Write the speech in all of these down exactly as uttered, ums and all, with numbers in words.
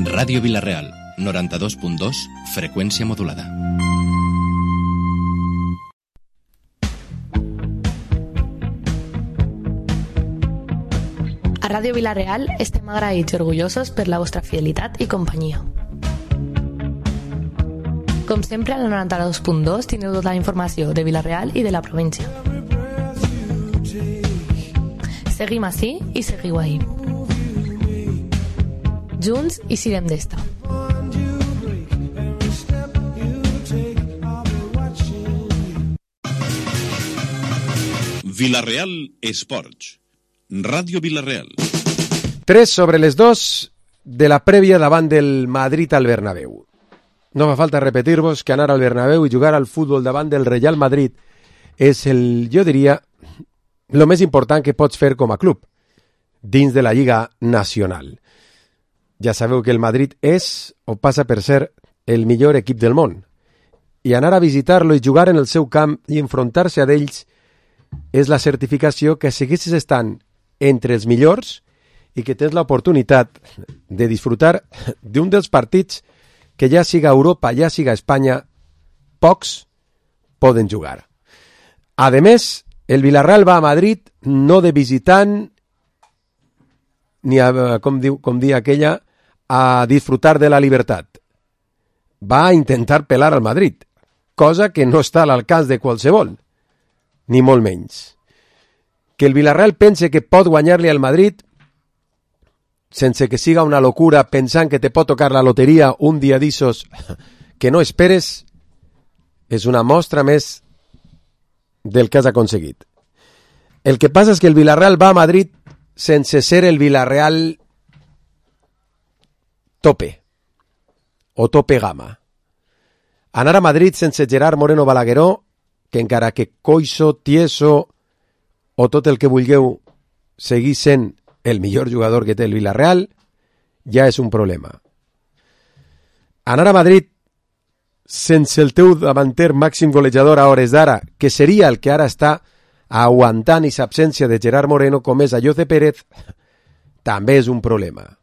Ràdio Vila-real, noranta-dos punt dos, freqüència modulada. A Ràdio Vila-real estem agraïts i orgullosos per la vostra fidelitat i companyia. Com sempre, a la noranta-dos punt dos tindreu tota la informació de Vila-real i de la província. Seguim ací i seguiu ahí. Junts i sirem d'esta. Vila-real Esports. Ràdio Vila-real. tres sobre les dos de la prèvia davant del Madrid al Bernabéu. No fa falta repetir-vos que anar al Bernabéu i jugar al futbol davant del Real Madrid és el, jo diria, el més important que pots fer com a club dins de la Lliga Nacional. Ja sabeu que el Madrid és o passa per ser el millor equip del món. I anar a visitar-lo i jugar en el seu camp i enfrontar-se a d'ells és la certificació que segueixes estant entre els millors i que tens l'oportunitat de disfrutar d'un dels partits que ja siga Europa, ja siga Espanya, pocs poden jugar. A més, el Villarreal va a Madrid no de visitant ni a, com diu, com dia aquella, a disfrutar de la libertat. Va a intentar pelar al Madrid, cosa que no està a l'alcance de qualsevol, ni molt menys. Que el Villarreal pense que pot guanyar-li al Madrid sense que siga una locura pensant que te pot tocar la loteria un dia d'issos que no esperes, és una mostra més del que has aconseguit. El que passa és que el Villarreal va a Madrid sense ser el Villarreal tope o tope gama. Anar a Madrid sense Gerard Moreno Balagueró, que encara que coixo, tieso o tot el que vulgueu seguir sent el millor jugador que té el Villarreal, ja és un problema. Anar a Madrid sense el teu davanter màxim golejador a hores d'ara, que seria el que ara està aguantant i s'absència de Gerard Moreno, com és Ayoce Pérez, també és un problema.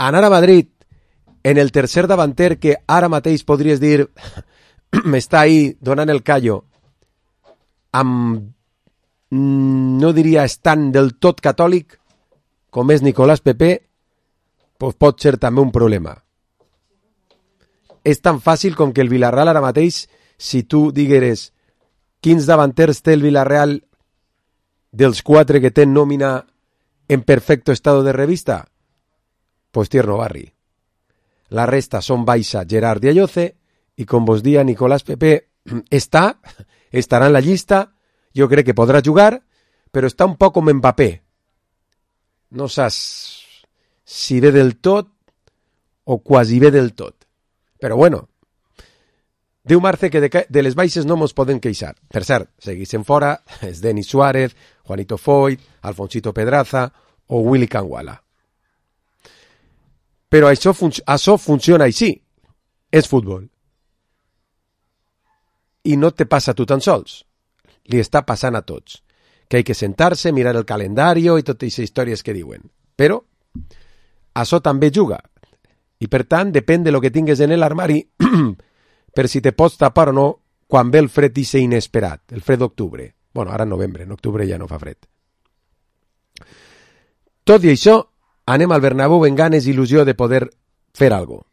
Anar a Madrid en el tercer davanter que ara mateix podries dir m'està ahí donant el callo, amb, no diria estant del tot catòlic, com és Nicolás Pepe, pues pot ser també un problema. És tan fàcil com que el Villarreal ara mateix, si tu digueres quins davanters té el Villarreal dels quatre que té nòmina en perfecto estado de revista, pues Tierno Barri. La resta són Baixa, Gerard i Ayoce, i com vos dia Nicolás Pepe està, estarà en la llista, jo crec que podrà jugar, però està un poc com Mbappé. No saps si ve del tot o quasi ve del tot. Però bueno, diu Marce que de, de les baixes no mos poden queixar. Per cert, seguissin fora és Denis Suárez, Juanito Foyt, Alfonsito Pedraza o Willy Canguala. Però això, fun això funciona així. És futbol. I no te passa a tu tan sols. Li està passant a tots. Que hay que sentar-se, mirar el calendari i totes aquestes històries que diuen. Però això també juga. I per tant, depèn de lo que tingues en l'armari per si te pots tapar o no quan ve el fred ixe inesperat, el fred d'octubre. Bueno, ara en novembre, en octubre ja no fa fred. Tot i això, anem al Bernabéu en ganes i il·lusió de poder fer algo.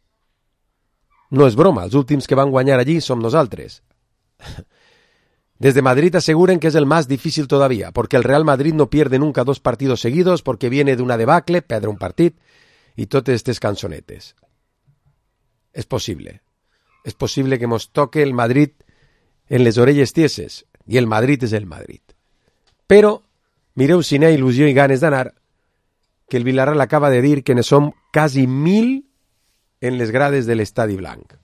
No és broma, els últims que van guanyar allí som nosaltres. Desde Madrid aseguren que es el más difícil todavía, porque el Real Madrid no pierde nunca dos partidos seguidos, porque viene de una debacle, perdre un partit, i totes aquestes cançonetes. És possible. És possible que mos toque el Madrid en les orelles tieses, i el Madrid és el Madrid. Però, mireu si n'hi ha il·lusió i ganes d'anar, que el Villarreal acaba de dir que ne som quasi mil en les grades de l'Estadi Blanc.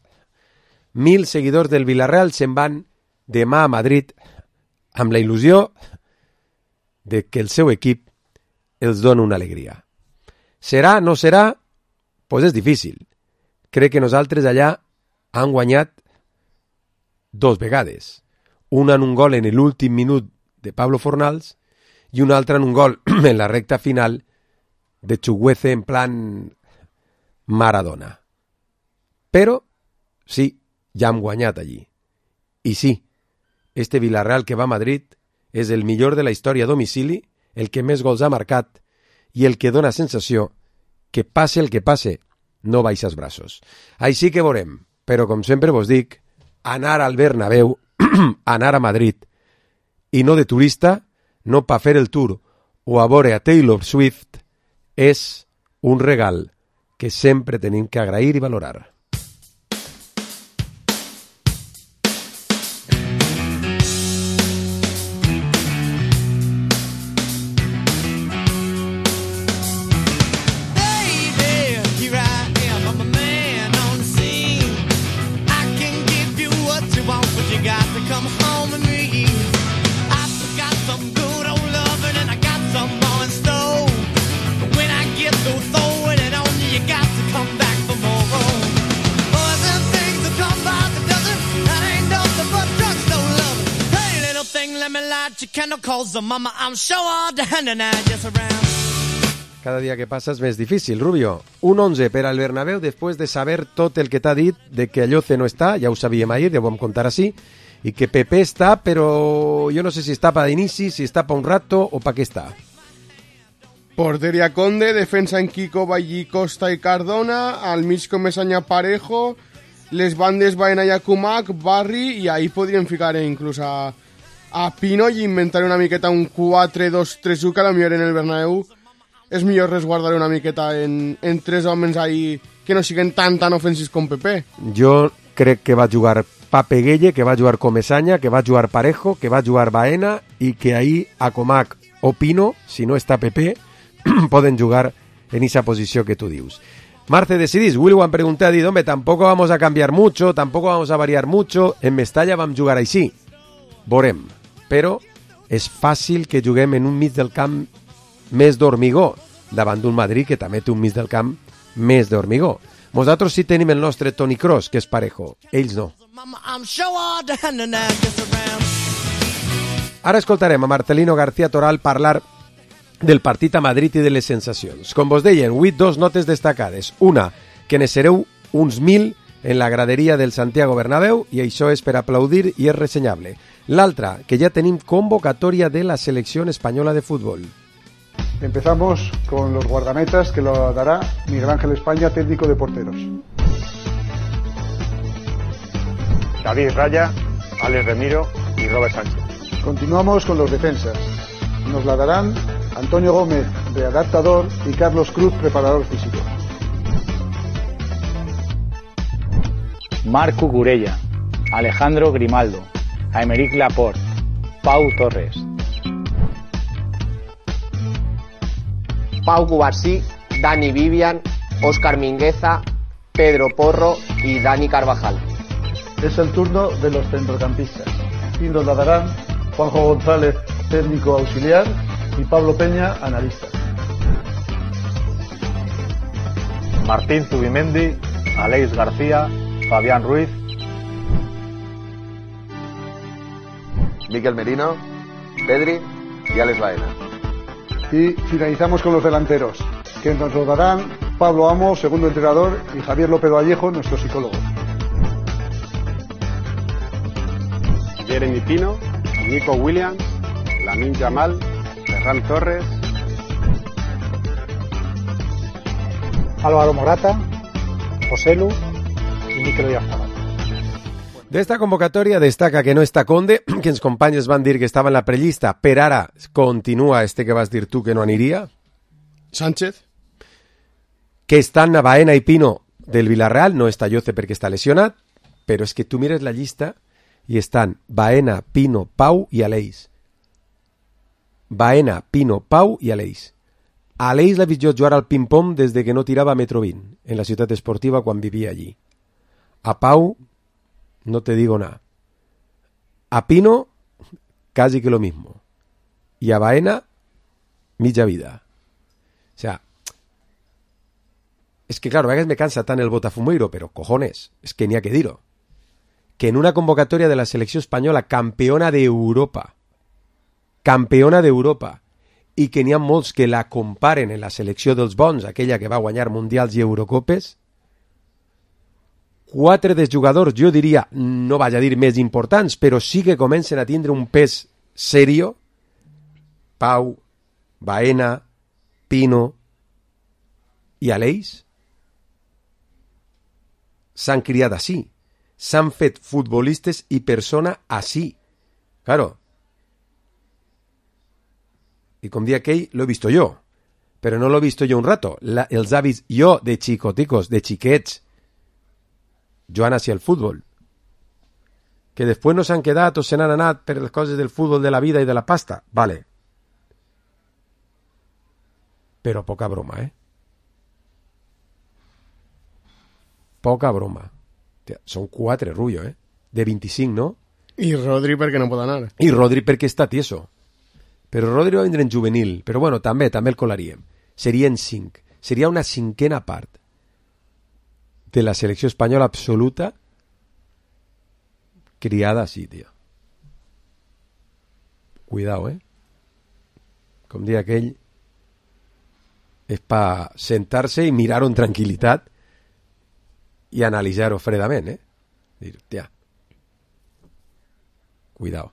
Mil seguidors del Villarreal se'n van demà a Madrid amb la il·lusió de que el seu equip els dona una alegria. Serà, no serà? Doncs pues és difícil. Crec que nosaltres allà han guanyat dos vegades. Una en un gol en l'últim minut de Pablo Fornals i una altra en un gol en la recta final de Chuguece en plan Maradona. Però, sí, ja hem guanyat allí. I sí, este Villarreal que va a Madrid és el millor de la història a domicili, el que més gols ha marcat i el que dona sensació que passe el que passe, no baixes braços. Així que veurem, però com sempre vos dic, anar al Bernabéu, anar a Madrid, i no de turista, no pa fer el tour o a veure a Taylor Swift, és un regal que sempre tenim que agrair i valorar. Cada dia que passa és més difícil, Rubio. Un onze per al Bernabéu després de saber tot el que t'ha dit de que Alloce no està, ja ho sabíem ahir, ja ho vam contar així, i que Pepe està, però jo no sé si està pa d'inici, si està pa un rato o pa què està. Porteria Conde, defensa en Kiko, Vallí, Costa i Cardona, al mig Comesaña Parejo, les bandes Baena i Akumak, Barri, i ahí podríem ficar inclús a, a Pino i inventar una miqueta un quatre dos tres u, que a la millor en el Bernabéu és millor resguardar una miqueta en, en tres homes ahí que no siguin tan tan ofensius com Pepe. Jo crec que va jugar Pape Gueye, que va jugar Comesaña, que va jugar Parejo, que va jugar Baena i que ahí Akumak o Pino, si no està Pepe, poden jugar en esa posición que tú dius. Marce, decidís. Will Wan pregunté a Did, hombre, tampoco vamos a cambiar mucho, tampoco vamos a variar mucho. En Mestalla vam jugar així. Vorem. Però és fàcil que juguem en un mig del camp més d'hormigó, davant d'un Madrid que també té un mig del camp més d'hormigó. Nosaltres sí tenim el nostre Toni Kroos, que és Parejo. Ells no. Ara escoltarem a Marcelino García Toral parlar del partit a Madrid i de les sensacions. Com vos deien, avui dos notes destacades. Una, que ne sereu uns mil en la graderia del Santiago Bernabéu i això és per aplaudir i és ressenyable. L'altra, que ja tenim convocatòria de la selecció espanyola de futbol. Empezamos con los guardametas, que lo dará Miguel Ángel España, técnico de porteros. David Raya, Alex Remiro y Robert Sánchez. Continuamos con los defensas. Nos la darán Antonio Gómez, de adaptador, y Carlos Cruz, preparador físico. Marc Cucurella, Alejandro Grimaldo, Aymeric Laporte, Pau Torres. Pau Cubarsí, Dani Vivian, Óscar Mingueza, Pedro Porro y Dani Carvajal. Es el turno de los centrocampistas y nos la darán Juanjo González, técnico auxiliar, y Pablo Peña, analista. Martín Zubimendi, Aleix García, Fabián Ruiz. Miquel Merino, Pedri y Alex Baena. Y finalizamos con los delanteros, que nos lo darán Pablo Amo, segundo entrenador, y Javier López Vallejo, nuestro psicólogo. Jeremy Pino, Nico Williams, Lamine Yamal, Ferran Torres, Álvaro Morata, Joselu y Mikel Oyarzabal. D'esta convocatòria destaca que no està Conde, que els companys van dir que estava en la prellista, per ara continua este que vas dir tu que no aniria. Sánchez. Que estan Baena i Pino del Villarreal, no està Alloce perquè està lesionat, però és que tu mires la llista i estan Baena, Pino, Pau i Aleix. Baena, Pino, Pau i Aleix. Aleix l'ha vist jo jugar al ping-pong des de que no tirava a Metro vint, en la ciutat esportiva quan vivia allí. A Pau, no te digo nada. A Pino, casi que lo mismo. Y a Baena, mitja vida. O sea, es que claro, a veces me cansa tan el botafumeiro, pero cojones, es que ni ha que dir-ho. Que en una convocatoria de la selecció espanyola campeona d'Europa, campeona d'Europa, i que n'hi ha molts que la comparen en la selecció dels bons, aquella que va guanyar mundials i Eurocopes, quatre dels jugadors, jo diria, no vaig a dir més importants, però sí que comencen a tindre un pes serio, Pau, Baena, Pino i Aleix, s'han criat així, s'han fet futbolistes i persona així. Claro. I com dia aquell, lo he visto yo, però no lo he visto yo un rato. La, els avis jo de xicoticos, de xiquets, jugant hacia el futbol, que després no s'han quedat o se n'han anat per les coses del futbol, de la vida i de la pasta. Vale. Però poca broma, eh? Poca broma. Tia, són quatre, Rullo, eh? De vint-i-cinc, no? I Rodri perquè no pot anar. I Rodri perquè està tieso. Però Rodri va vindre en juvenil. Però bueno, també, també el colaríem. Serien cinc. Seria una cinquena part de la selecció espanyola absoluta criada així, tio. Cuidao, eh? Com dia aquell, és pa sentar-se i mirar-ho en tranquil·litat i analitzar-ho fredament, eh? Dir, tia, cuidao.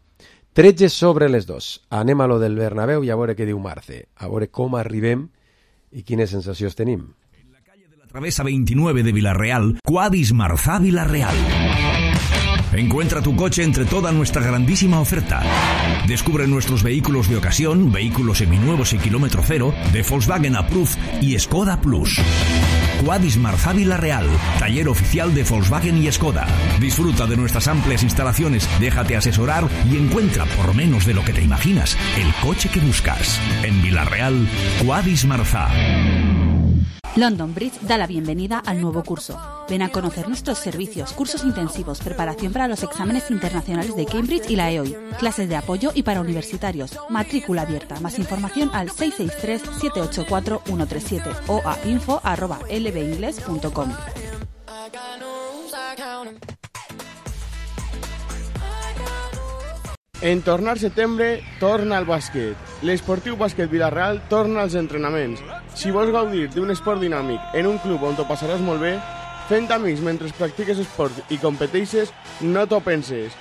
tretze sobre les dos. Anem a lo del Bernabéu i a veure què diu Marce. A veure com arribem i quines sensacions tenim. En la calle de la Travesa veintinueve de Villarreal, Quadis Marzá Villarreal. Encuentra tu coche entre toda nuestra grandísima oferta. Descubre nuestros vehículos de ocasión, vehículos seminuevos y kilómetro cero, de Volkswagen Approved y Skoda Plus. Quadis Marzá Villarreal, taller oficial de Volkswagen y Skoda. Disfruta de nuestras amplias instalaciones, déjate asesorar y encuentra, por menos de lo que te imaginas, el coche que buscas. En Villarreal, Quadis Marzá. London Bridge da la bienvenida al nuevo curso. Ven a conocer nuestros servicios, cursos intensivos, preparación para los exámenes internacionales de Cambridge y la E O I, clases de apoyo y para universitarios, matrícula abierta. Más información al seis seis tres, siete ocho cuatro, uno tres siete o a info arroba l b ingles punto com. En tornar setembre, torna al bàsquet. L'Esportiu Bàsquet Villarreal torna als entrenaments. Si vols gaudir d'un esport dinàmic en un club on t'ho passaràs molt bé, fent amics mentre practiques esport i competeixes, no t'ho penses.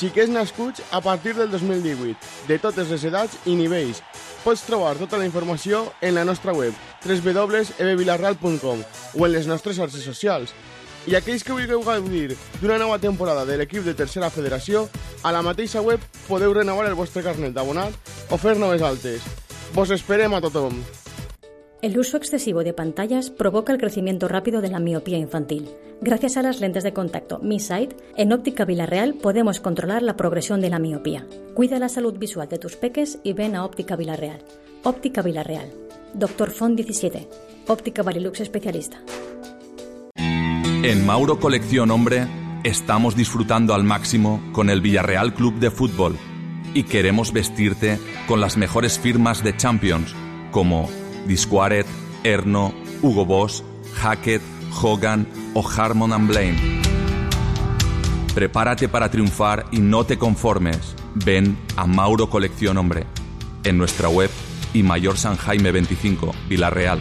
Xiquets nascuts a partir del dos mil divuit, de totes les edats i nivells. Pots trobar tota la informació en la nostra web, w w w punt e b villarreal punt com, o en les nostres xarxes socials. I aquells que vulgueu gaudir d'una nova temporada de l'equip de Tercera Federació, a la mateixa web podeu renovar el vostre carnet d'abonat o fer noves altes. Vos esperem a tothom. El uso excesivo de pantallas provoca el crecimiento rápido de la miopía infantil. Gracias a las lentes de contacto Mi Sight, en Óptica Villarreal podemos controlar la progresión de la miopía. Cuida la salud visual de tus peques y ven a Óptica Villarreal. Óptica Villarreal. Doctor Font diecisiete. Óptica Varilux especialista. En Mauro Colección Hombre estamos disfrutando al máximo con el Villarreal Club de Fútbol y queremos vestirte con las mejores firmas de Champions como Disquaret, Erno, Hugo Boss, Hackett, Hogan o Harmon and Blaine. Prepárate para triunfar y no te conformes. Ven a Mauro Colección Hombre en nuestra web y Mayor San Jaime veinticinco, Villarreal.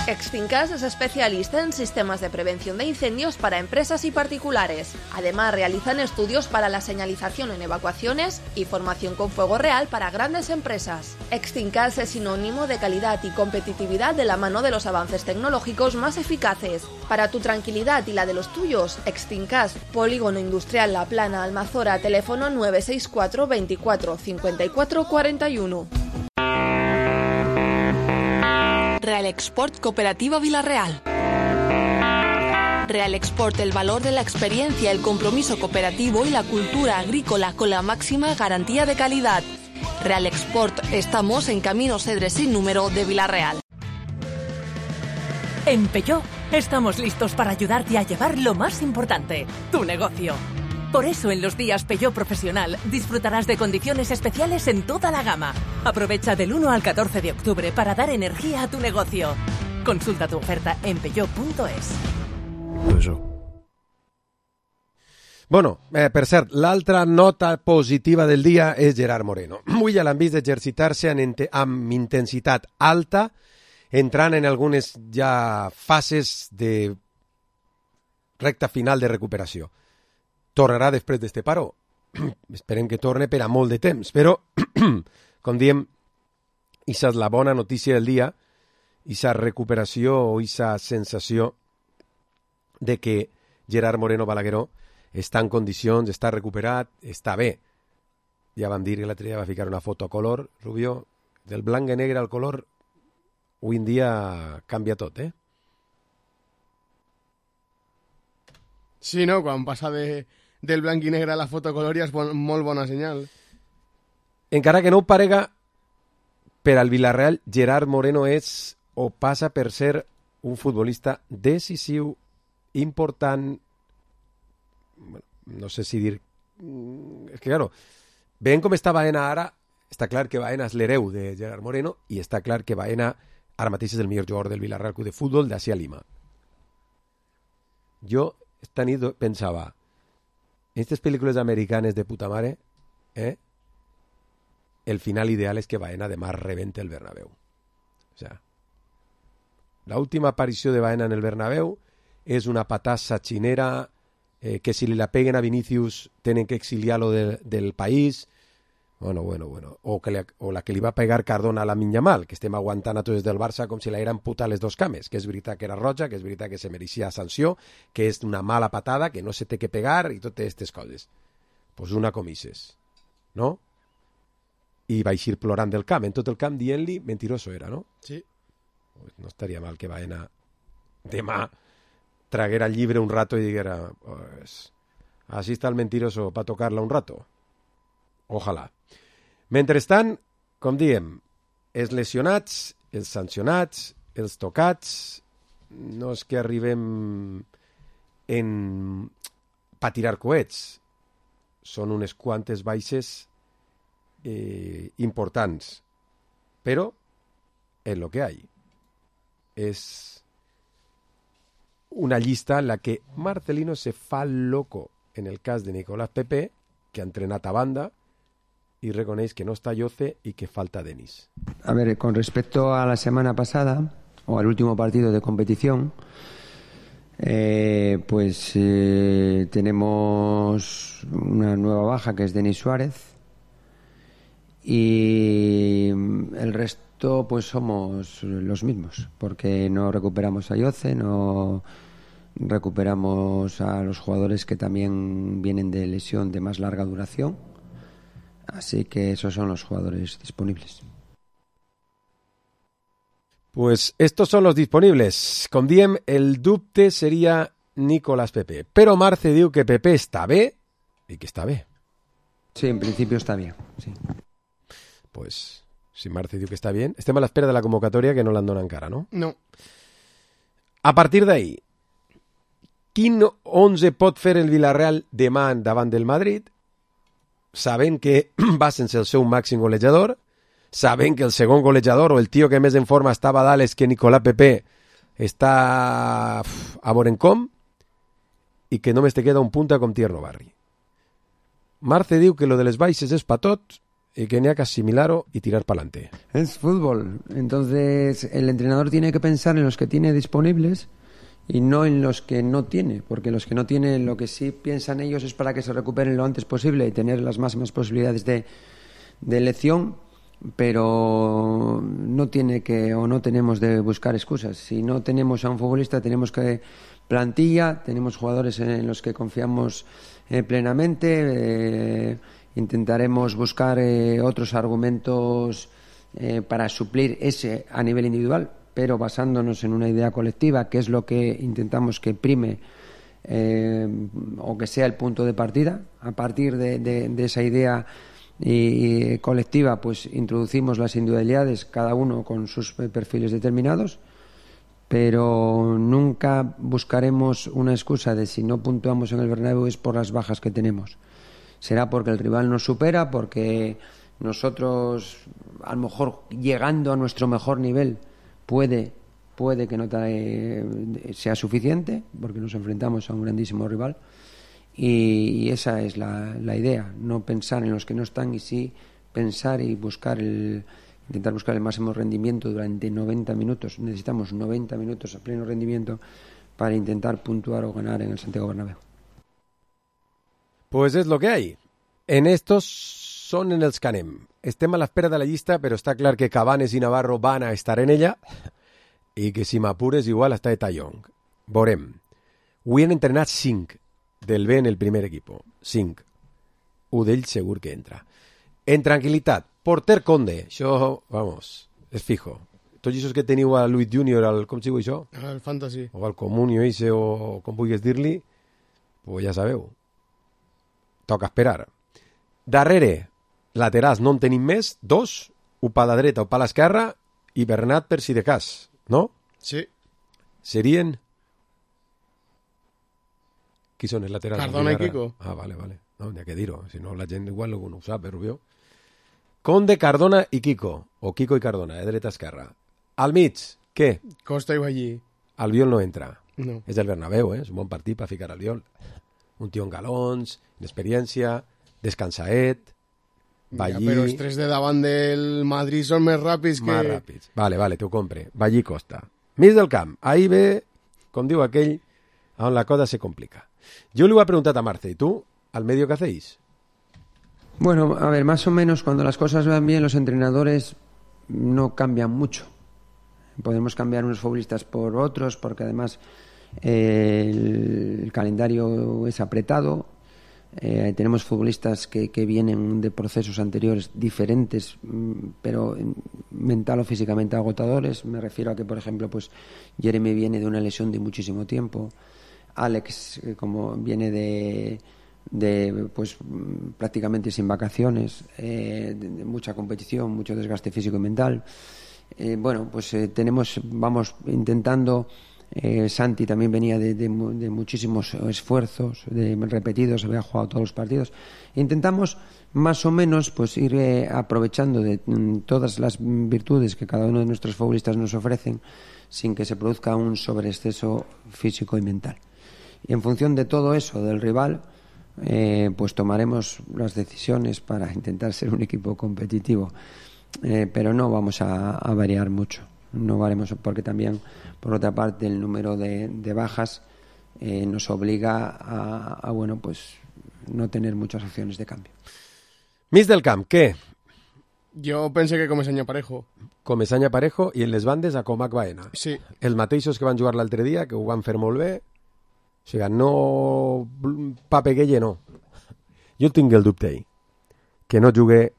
Extinkas es especialista en sistemas de prevención de incendios para empresas y particulares. Además, realizan estudios para la señalización en evacuaciones y formación con fuego real para grandes empresas. Extinkas es sinónimo de calidad y competitividad de la mano de los avances tecnológicos más eficaces. Para tu tranquilidad y la de los tuyos, Extinkas, Polígono Industrial La Plana, Almazora, teléfono nueve seis cuatro, veinticuatro, cincuenta y cuatro, cuarenta y uno. Real Export Cooperativa Villarreal. Real Export, el valor de la experiencia, el compromiso cooperativo y la cultura agrícola con la máxima garantía de calidad. Real Export, estamos en Camino Cedres sin número de Villarreal. En Peugeot estamos listos para ayudarte a llevar lo más importante, tu negocio. Por eso en los días Peugeot Profesional disfrutarás de condiciones especiales en toda la gama. Aprovecha del uno al catorce de octubre para dar energía a tu negocio. Consulta tu oferta en peugeot punto es. Bueno, eh, per cert, l'altra nota positiva del dia és Gerard Moreno. Avui ja l'han vist exercitar-se amb intensitat alta, entrant en algunes ja fases de recta final de recuperació. Tornarà després d'este paró. Esperem que torne per a molt de temps, però, com diem, aquesta és la bona notícia del dia, aquesta recuperació o aquesta sensació de que Gerard Moreno Balagueró està en condicions, està recuperat, està bé. Ja vam dir que l'altre dia va ficar una foto a color, Rubió, del blanc i negre al color, avui en dia canvia tot, eh? Sí, no? Quan passa de, del blanc i negre a la foto a color ja és bon, molt bona senyal. Encara que no ho parega, per al Villarreal, Gerard Moreno és o passa per ser un futbolista decisiu, important, bueno, no sé si dir... És que, claro, veient com està Baena ara, està clar que Baena és l'hereu de Gerard Moreno i està clar que Baena ara mateix és el millor jugador del Villarreal Club de Futbol d'Asia Lima. Jo esta nit pensava, en aquestes pel·lícules americanes de puta mare, eh, el final ideal és que Baena demà rebente el Bernabéu. O sea, la última aparició de Baena en el Bernabéu és una patassa xinera eh, que si li la peguen a Vinicius tenen que exiliar-lo de, del país. Bueno, bueno, bueno. O, que li, o la que li va pegar Cardona a la Yamal, que estem aguantant a tots del Barça com si la eren puta les dos cames, que és veritat que era roja, que és veritat que se mereixia sanció, que és una mala patada, que no se té que pegar i totes aquestes coses. Pues una comises, no? I va eixir plorant del camp, en tot el camp dient-li mentiroso era, no? Sí. Pues no estaria mal que Baena demà traguera el llibre un rato i diguera, pues, así está el mentiroso para tocarla un rato. Ojalà. Mentrestant, com diem, els lesionats, els sancionats, els tocats, no és que arribem en pa tirar coets, són unes quantes baixes eh, importants, però és lo que hay. És una llista en la que Marcelino se fa loco en el cas de Nicolás Pepe, que ha entrenat a banda, y reconeix que no está Yoce y que falta Denis. A ver, con respecto a la semana pasada, o al último partido de competición, eh, pues eh, tenemos una nueva baja que es Denis Suárez, y el resto pues somos los mismos, porque no recuperamos a Yoce, no recuperamos a los jugadores que también vienen de lesión de más larga duración. Así que esos son los jugadores disponibles. Pues estos son los disponibles. Com diem, el dubte seria Nicolás Pepe. Però Marce diu que Pepe està bé i que està bé. Sí, en principio está bien, sí. Pues si Marce diu que està bien, estem a l'espera de la convocatòria que no l'han donat encara, no? No. A partir d'ahí, quin onze pot fer el Villarreal demà davant del Madrid? Sabent que va sense el seu màxim golejador, sabent que el segon golejador o el tio que més en forma estava a dalt és que Nicolás Pepe està a veure com i que només te queda un punta com Tierno Barri. Marce diu que lo de les baixes és pa tot y que tenía que asimilarlo y tirar para adelante. Es fútbol, entonces el entrenador tiene que pensar en los que tiene disponibles y no en los que no tiene, porque los que no tienen, lo que sí piensan ellos es para que se recuperen lo antes posible y tener las máximas posibilidades de, de elección, pero no tiene que o no tenemos de buscar excusas. Si no tenemos a un futbolista, tenemos que plantilla, tenemos jugadores en los que confiamos eh, plenamente, eh, intentaremos buscar eh, otros argumentos eh, para suplir ese a nivel individual, pero basándonos en una idea colectiva, que es lo que intentamos que prime eh, o que sea el punto de partida. A partir de, de, de esa idea y, y colectiva, pues introducimos las individualidades, cada uno con sus perfiles determinados, pero nunca buscaremos una excusa de si no puntuamos en el Bernabéu es por las bajas que tenemos. Será porque el rival nos supera, porque nosotros, a lo mejor llegando a nuestro mejor nivel, puede, puede que no te, sea suficiente, porque nos enfrentamos a un grandísimo rival, y, y esa es la, la idea, no pensar en los que no están y sí pensar y buscar el, intentar buscar el máximo rendimiento durante noventa minutos. Necesitamos noventa minutos a pleno rendimiento para intentar puntuar o ganar en el Santiago Bernabéu. Pues és lo que hay. En estos són en els que anem. Estem a l'espera de la llista, però està clar que Cabanes i Navarro van a estar en ella i que si m'apures igual està de Young. Veurem. Avui han entrenat cinc del B en el primer equip. Cinc. Un d'ells segur que entra. En tranquil·litat. Porter Conde. Això, vamos, és fijo. Tots aquests que teniu a Luis Junior, al, com sigo això? Al Fantasy. O al Comunio ese, o com vulguis dir-li, pues ja sabeu. Toca esperar. Darrere, laterals no en tenim més, dos, un pa la dreta o pa l'esquerra, i Bernat per si de cas, no? Sí. Serien... Qui són els laterals? Cardona i Kiko. Ah, vale, vale. No, n'hi ha que dir-ho, si no la gent igual no ho sap, però Rubió. Conde, Cardona i Kiko, o Kiko i Cardona, eh, dreta-esquerra. Al mig, què? Costa i Ballí. Albiol no entra. No. És el Bernabéu, eh? És un bon partit per ficar Albiol. Un tio en galons, d'experiència, descansaet, Ballí... Ja, però els tres de davant del Madrid són més ràpids que... Més ràpids. Vale, vale, t'ho compre. Ballí Costa. Mig del camp. Ahí ve, com diu aquell, on la cosa se complica. Yo le voy a preguntar a Marce, ¿y tú, al medio qué hacéis? Bueno, a ver, más o menos cuando las cosas van bien, los entrenadores no cambian mucho. Podemos cambiar unos futbolistas por otros, porque además eh, el, el calendario es apretado. Eh, tenemos futbolistas que, que vienen de procesos anteriores diferentes, pero mental o físicamente agotadores. Me refiero a que, por ejemplo, pues Jeremy viene de una lesión de muchísimo tiempo. Alex, eh, como viene de, de pues prácticamente sin vacaciones, eh, de, de mucha competición, mucho desgaste físico y mental. Eh, bueno, pues eh, tenemos, vamos intentando. Eh, Santi también venía de, de, de muchísimos esfuerzos, de repetidos, había jugado todos los partidos. Intentamos más o menos pues ir eh, aprovechando de mm, todas las virtudes que cada uno de nuestros futbolistas nos ofrecen, sin que se produzca un sobreexceso físico y mental. Y en función de todo eso, del rival, eh, pues tomaremos las decisiones para intentar ser un equipo competitivo, eh, pero no vamos a, a variar mucho. No variamos porque también, por otra parte, el número de, de bajas eh, nos obliga a, a, bueno, pues no tener muchas opciones de cambio. Mig del camp, què? Jo pensé que Comesaña Parejo. Comesaña Parejo i en les bandes a Comac Baena. Sí. Els mateixos que van jugar l'altre dia, que ho van fer molt bé. O sigui, no... Pape Gueye no. Jo tinc el dubte ahí. Que no jugue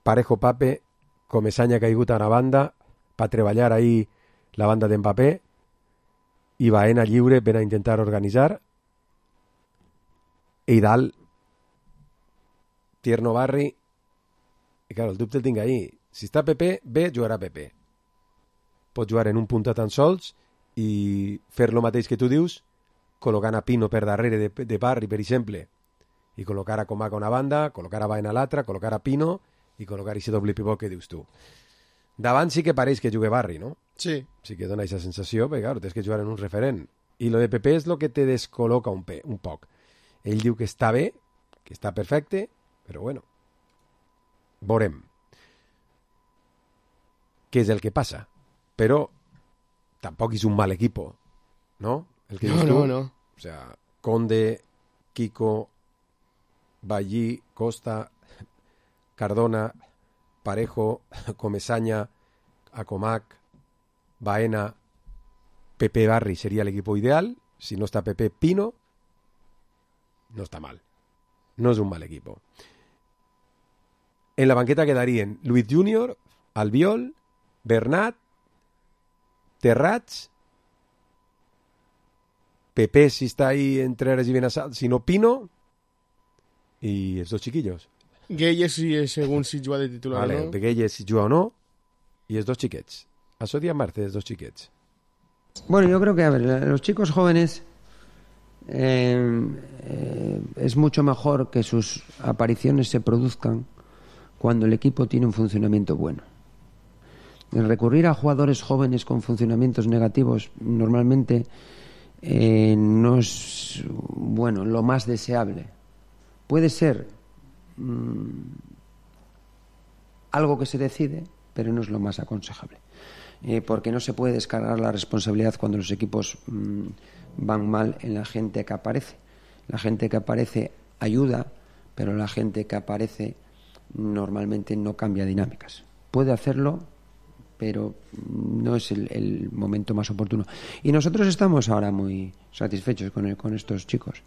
Parejo Pape, Comesaña caigut a una banda, per treballar ahí la banda d'Mbappé i Baena lliure per a intentar organitzar. I dalt Tierno Barri. I claro, el dubte el tinc ahí. Si està Pepe, bé, jugarà Pepe. Pot jugar en un punta tan sols i fer lo mateix que tu dius, col·locant a Pino per darrere de, de Barri, per exemple, i col·locar a Comac a una banda, col·locar a Baena a l'altra, col·locar a Pino i col·locar aquest doble pivot que dius tu. Davant sí que pareix que jugue Barri, no? Sí. Sí que dona aquesta sensació, perquè claro, tens que jugar en un referent. I lo de Pepe és lo que te descol·loca un, pe, un poc. Ell diu que està bé, que està perfecte, però bueno, veurem què és el que passa. Però tampoc és un mal equipo, no? El que no, dius tu. no, no. O sea, Conde, Kiko, Ballí, Costa, Cardona, Parejo, Comesaña, Acomac, Baena, Pepe Barri sería el equipo ideal. Si no está Pepe, Pino, no está mal. No es un mal equipo. En la banqueta quedarían Luis Junior, Albiol, Bernat, Terrats, Pepe si está ahí entre Ares y Benassal, si no Pino, y esos chiquillos. Gueye si según si juga de titular vale, o no. Gueye si juga o no, y es dos chiquets. Això dia Marce, es dos chiquets. Bueno, yo creo que, a ver, los chicos jóvenes eh, eh, es mucho mejor que sus apariciones se produzcan cuando el equipo tiene un funcionamiento bueno. El recurrir a jugadores jóvenes con funcionamientos negativos normalmente eh, no es, bueno, lo más deseable. Puede ser mmm, algo que se decide, pero no es lo más aconsejable. Eh, porque no se puede descargar la responsabilidad cuando los equipos mmm, van mal en la gente que aparece. La gente que aparece ayuda, pero la gente que aparece normalmente no cambia dinámicas. Puede hacerlo, pero no es el, el momento más oportuno. Y nosotros estamos ahora muy satisfechos con, el, con estos chicos.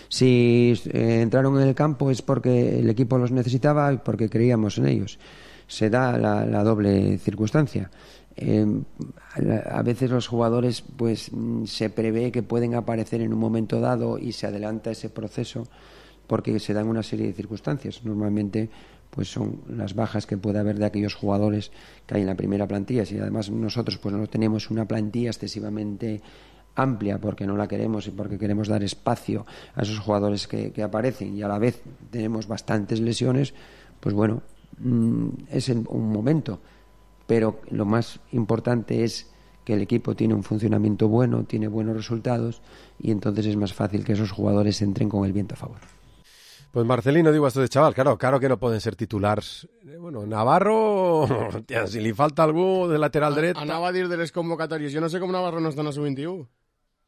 Si eh, entraron en el campo es porque el equipo los necesitaba y porque creíamos en ellos. Se da la, la doble circunstancia. Eh, a, a veces los jugadores pues se prevé que pueden aparecer en un momento dado y se adelanta ese proceso porque se dan una serie de circunstancias. Normalmente pues son las bajas que puede haber de aquellos jugadores que hay en la primera plantilla. Si además nosotros pues no tenemos una plantilla excesivamente amplia porque no la queremos y porque queremos dar espacio a esos jugadores que, que aparecen y a la vez tenemos bastantes lesiones, pues bueno, mmm, es el, un momento. Pero lo más importante es que el equipo tiene un funcionamiento bueno, tiene buenos resultados y entonces es más fácil que esos jugadores entren con el viento a favor. Pues Marcelino, digo, esto de chaval, claro, claro que no pueden ser titulares. Bueno, Navarro, tia, si li falta algú de lateral dret... Anava a dir de les convocatòries. Jo no sé com Navarro no està en la sub veintiuno.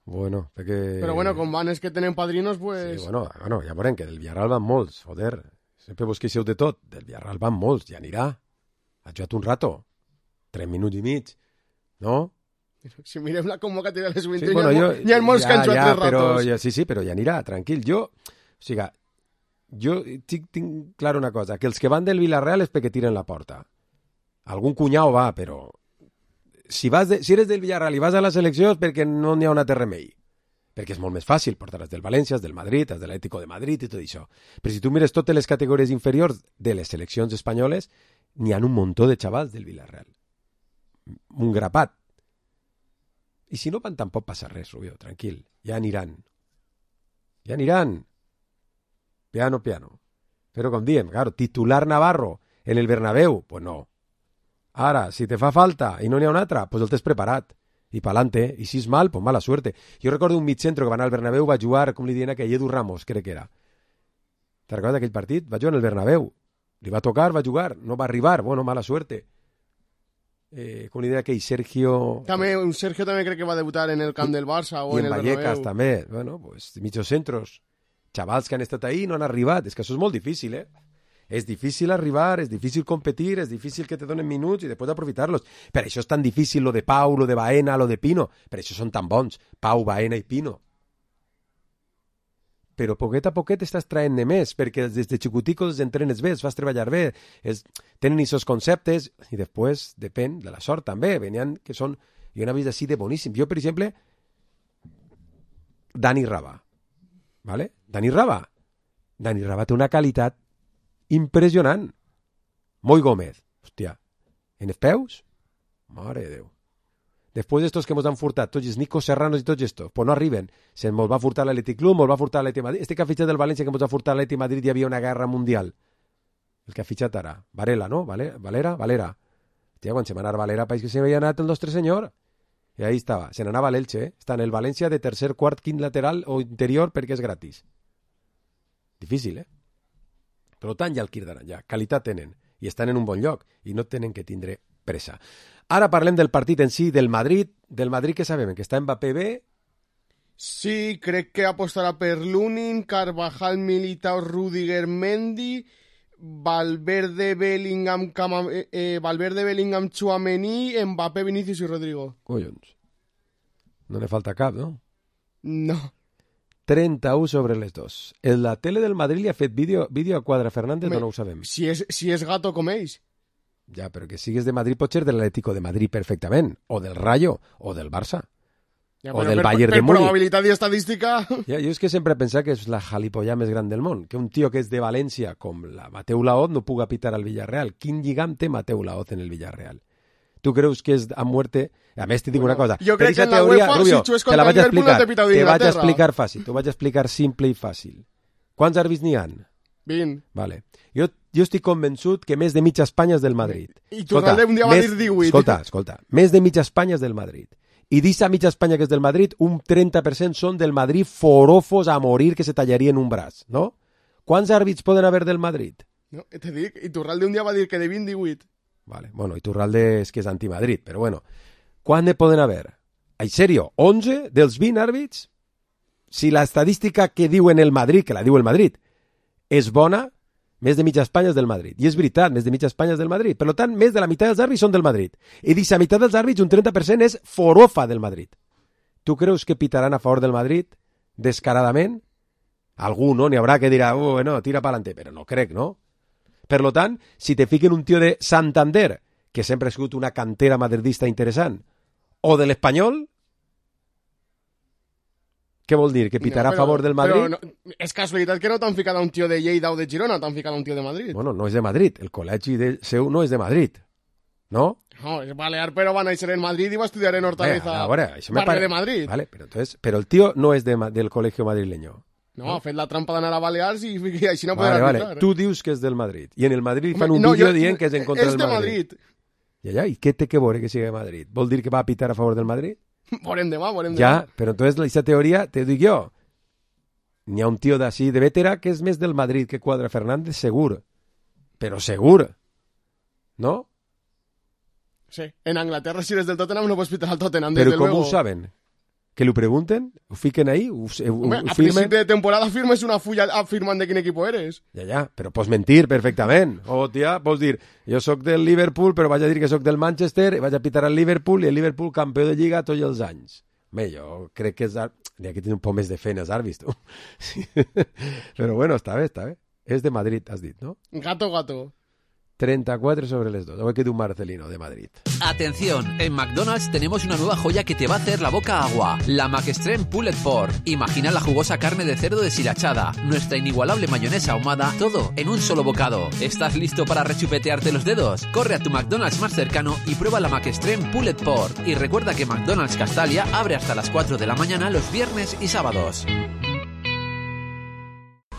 Bueno, perquè... Però bueno, com van és que tenen padrinos, pues... Sí, bueno, bueno, ja veurem que del Villarreal van molts, joder. Sempre vos queixeu de tot. Del Villarreal van molts, ja anirà. Ha jugat un rato. Tres minuts i mig, no? Si mirem la convocatòria de les sub Sí, veintiuno, bueno, hi ha, jo, hi ha molts ja, que han jugat ja, tres però, ratos. ja, sí, sí, però ja anirà, tranquil. Jo, o sigui, jo tinc, tinc clar una cosa, que els que van del Villarreal és perquè tiren la porta. Algun cunyau va, però si, vas de, si eres del Villarreal i vas a la selecció és perquè no n'hi ha un altre remei. Perquè és molt més fàcil portar-les del València, del Madrid, de l'Atlético de Madrid i tot això. Però si tu mires totes les categories inferiors de les seleccions espanyoles, n'hi ha un muntó de xavals del Villarreal. Un grapat. I si no van tampoc passa res, Rubio, tranquil. Ja aniran. Ja aniran. Piano, piano. Però com diem, claro, titular Navarro en el Bernabéu, pues no. Ara, si te fa falta i no n'hi ha un altre, pues el tens preparat. I pa'lante, i si és mal, pues mala suerte. Jo recordo un mitcentro que va anar al Bernabéu, va jugar, com li diuen aquell, Edu Ramos, crec que era. Te recordes d'aquell partit? Va jugar en el Bernabéu. Li va tocar, va jugar, no va arribar, bueno, mala suerte. Eh, com li diuen aquell, Sergio... També, un Sergio també crec que va debutar en el camp del Barça o I en, en el Vallecas Bernabéu. també, bueno, pues, mitjos centros. Xavals que han estat ahí no han arribat. És que això és molt difícil, eh? És difícil arribar, és difícil competir, és difícil que te donen minuts i després aprofitar-los. Per això és tan difícil lo de Pau, lo de Baena, lo de Pino. Per això són tan bons, Pau, Baena i Pino. Però poquet a poquet estàs traient-ne més, perquè des de xicoticos els entrenes bé, els fas treballar bé, és, tenen aquests conceptes, i després depèn de la sort també. Venien que són, jo n'he vist així de boníssim. Jo, per exemple, Dani Raba, ¿vale? Dani Raba. Dani Raba té una qualitat impressionant. Moi Gómez, hòstia, en els peus, mare de Déu. Després d'estos que ens han furtat, tots els Nico Serranos i tots estos, pues no arriben. Se ens va furtar l'Atlètic Club, ens va furtar l'Atlètic Madrid. Este que ha fitxat del València que ens ha furtat l'Atlètic Madrid hi havia una guerra mundial. El que ha fitxat ara. Varela, no? Valera? Valera? Valera. Hòstia, quan se va anar Valera, país que se havia anat el nostre senyor. I ahí estava. Se n'anava a l'Elche, eh? Està en el València de tercer, quart, quint lateral o interior perquè és gratis. Difícil, eh? Per tant, ja el quirdaran, ja. Qualitat tenen. I estan en un bon lloc. I no tenen que tindre pressa. Ara parlem del partit en si, del Madrid. Del Madrid que sabem, que està Mbappé bé. Sí, crec que apostarà per Lunin, Carvajal, Militao, Rudiger, Mendy, Valverde, Bellingham, Cama, eh, Valverde, Bellingham, Tchouaméni, Mbappé, Vinicius i Rodrigo. Collons. No ne falta cap, no? No. trenta-u sobre les dos. La tele del Madrid li ha fet vídeo, vídeo a Quadra Fernández Me, o no ho sabem? Si és, si és gato com ells. Ja, però que sigues de Madrid pot ser de l'Atlético de Madrid perfectament, o del Rayo, o del Barça, ja, o del per, Bayern per, de Múnich. Per probabilitat i estadística... Ja, jo és que sempre he pensat que és la jalipollà més gran del món, que un tio que és de València, com la Mateu Laoz, no puga pitar al Villarreal. Quin lligam té Mateu Laoz en el Villarreal? Tu creus que és a muerte? A més, te dic una cosa. Jo crec que en la teoria, UEFA, Rubio, si xues te la contra vaig el Liverpool, explicar, no t'he pitat te vaig d'Inglaterra. explicar fàcil, t'ho vaig explicar simple i fàcil. Quants àrbits n'hi ha? vint. Vale. Jo, jo estic convençut que més de mitja Espanya és del Madrid. I Torralde un dia va dir divuit. Escolta, escolta. Més de mitja Espanya és del Madrid. I d'issa mitja Espanya que és del Madrid, un trenta per cent són del Madrid forofos a morir que se tallarien un braç, no? Quants àrbits poden haver del Madrid? No, te dic, Iturralde un dia va dir que de vint divuit. Vale, bueno, Iturralde és que és anti-Madrid, però bueno. Quant ne poden haver? En sèrio, onze dels vint àrbits? Si l'estadística que diuen el Madrid, que la diu el Madrid, és bona, més de mitja Espanya és del Madrid. I és veritat, més de mitja Espanya és del Madrid. Per tant, més de la meitat dels àrbits són del Madrid. I d'aquesta meitat dels àrbits, un trenta per cent és forofa del Madrid. Tu creus que pitaran a favor del Madrid descaradament? Algú, no? N'hi haurà que dirà, oh, no, tira pa'lante, però no crec, no? Per tant, si te fiquen un tio de Santander, que sempre ha sigut una cantera madridista interessant, o de l'Espanyol, què vol dir? Que pitarà no, però, a favor del Madrid? Però no, és casualitat que no t'han ficat a un tio de Lleida o de Girona, t'han ficat a un tio de Madrid. Bueno, no és de Madrid, el col·legi de seu no és de Madrid, no? No, és balear, però va néixer en Madrid i va estudiar en Hortaleza, a veure, això barri pare... de Madrid. Vale, però, entonces, però el tio no és de, del col·legio madrileño. No, no, ha fet la trampa d'anar a Balears i, i així no vale, podrà vale. arbitrar. Tu dius que és del Madrid, i en el Madrid fan Home, un no, vídeo jo, dient que és en contra és del de Madrid. Madrid. Ja, ja, i què té que veure que sigui de Madrid? Vol dir que va a pitar a favor del Madrid? Veurem demà, veurem demà. Ja, però entonces aquesta teoria, te dic jo, n'hi ha un tio d'ací de vetera que és més del Madrid que Quadra Fernández, segur. Però segur. No? Sí, en Anglaterra si eres del Tottenham no pots pitar al Tottenham, Però desde com luego. ho saben? Que lo pregunten? Ho fiquen ahí? Ho, ho, Home, ho a firmen? principi de temporada firmes una fulla afirmant de quin equipo eres. Ja, ja, però pots mentir perfectament. O, tia, pots dir, jo sóc del Liverpool, però vaig a dir que sóc del Manchester, i vaig a pitar al Liverpool, i el Liverpool campió de Lliga tots els anys. Home, jo crec que és... N'hi ha que tenir un poc més de feina, els àrbits, tu. Sí. Però bueno, està bé, està bé. És de Madrid, has dit, no? Gato, gato. treinta-quatre sobre les dos. Hoy queda un Marcelino de Madrid. Atención, en McDonald's tenemos una nueva joya que te va a hacer la boca agua. La McExtreme Pulled Pork. Imagina la jugosa carne de cerdo deshilachada, nuestra inigualable mayonesa ahumada, todo en un solo bocado. ¿Estás listo para rechupetearte los dedos? Corre a tu McDonald's más cercano y prueba la McExtreme Pulled Pork. Y recuerda que McDonald's Castalia abre hasta las cuatro de la mañana los viernes y sábados.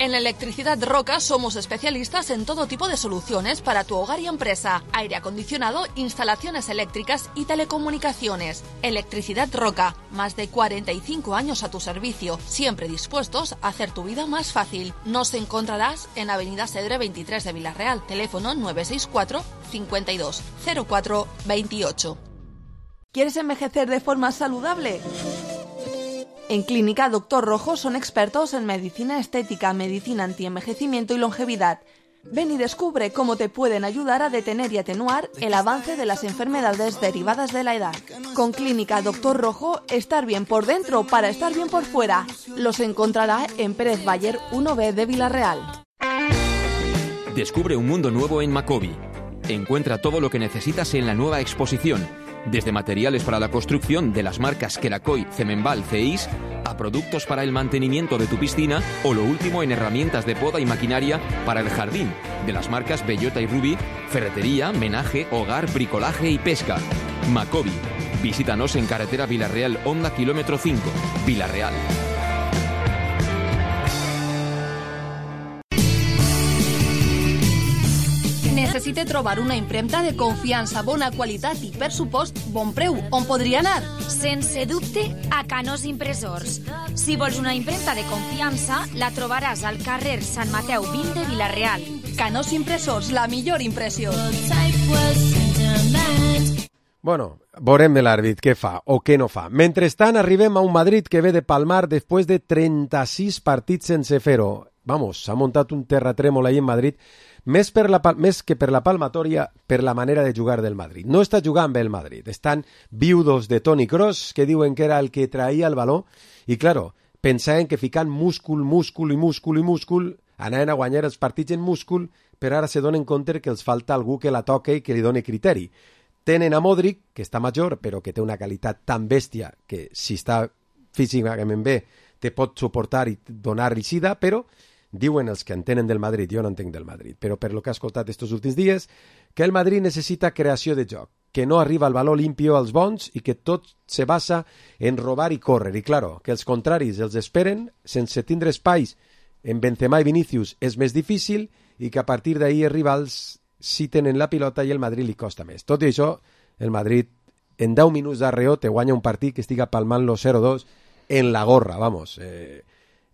En Electricidad Roca somos especialistas en todo tipo de soluciones para tu hogar y empresa. Aire acondicionado, instalaciones eléctricas y telecomunicaciones. Electricidad Roca, más de cuarenta y cinco años a tu servicio, siempre dispuestos a hacer tu vida más fácil. Nos encontrarás en Avenida Cedre veintitrés de Villarreal, teléfono nueve seis cuatro, cincuenta y dos, cero cuatro, veintiocho. ¿Quieres envejecer de forma saludable? En Clínica Doctor Rojo son expertos en medicina estética, medicina antienvejecimiento y longevidad. Ven y descubre cómo te pueden ayudar a detener y atenuar el avance de las enfermedades derivadas de la edad. Con Clínica Doctor Rojo, estar bien por dentro para estar bien por fuera. Los encontrará en Pérez Bayer uno B de Villarreal. Descubre un mundo nuevo en Macobi. Encuentra todo lo que necesitas en la nueva exposición. Desde materiales para la construcción de las marcas Kerakoy, Cemenbal, Ceis, a productos para el mantenimiento de tu piscina o lo último en herramientas de poda y maquinaria para el jardín, de las marcas Bellota y Ruby, ferretería, menaje, hogar, bricolaje y pesca. Macobi. Visítanos en carretera Villarreal Honda kilómetro cinco, Villarreal. Necessite trobar una impremta de confiança, bona qualitat i, per supost, bon preu. On podria anar? Sense dubte, a Canós Impressors. Si vols una impremta de confiança, la trobaràs al carrer Sant Mateu vint de Villarreal. Canós Impressors, la millor impressió. Bueno, veurem l'àrbit què fa o què no fa. Mentrestant, arribem a un Madrid que ve de palmar després de trenta-sis partits sense fer-ho. Vamos, s'ha muntat un terratrèmol ahí en Madrid, més, per la, més que per la palmatòria, per la manera de jugar del Madrid. No està jugant bé el Madrid. Estan viudos de Toni Kroos, que diuen que era el que traïa el baló, i, claro, pensaven que ficant múscul, múscul i múscul i múscul anaven a guanyar els partits en múscul, però ara se donen compte que els falta algú que la toque i que li doni criteri. Tenen a Modric, que està major, però que té una qualitat tan bèstia que si està físicament bé te pot suportar i donar risida, però diuen els que entenen del Madrid, jo no entenc del Madrid, però per lo que he escoltat estos últims dies, que el Madrid necessita creació de joc, que no arriba el valor limpio als bons i que tot se basa en robar i córrer. I claro, que els contraris els esperen sense tindre espais en Benzema i Vinícius és més difícil i que a partir d'ahir els rivals sí tenen la pilota i el Madrid li costa més. Tot i això, el Madrid en deu minuts d'arreó te guanya un partit que estiga palmant-lo zero dos en la gorra, vamos, eh,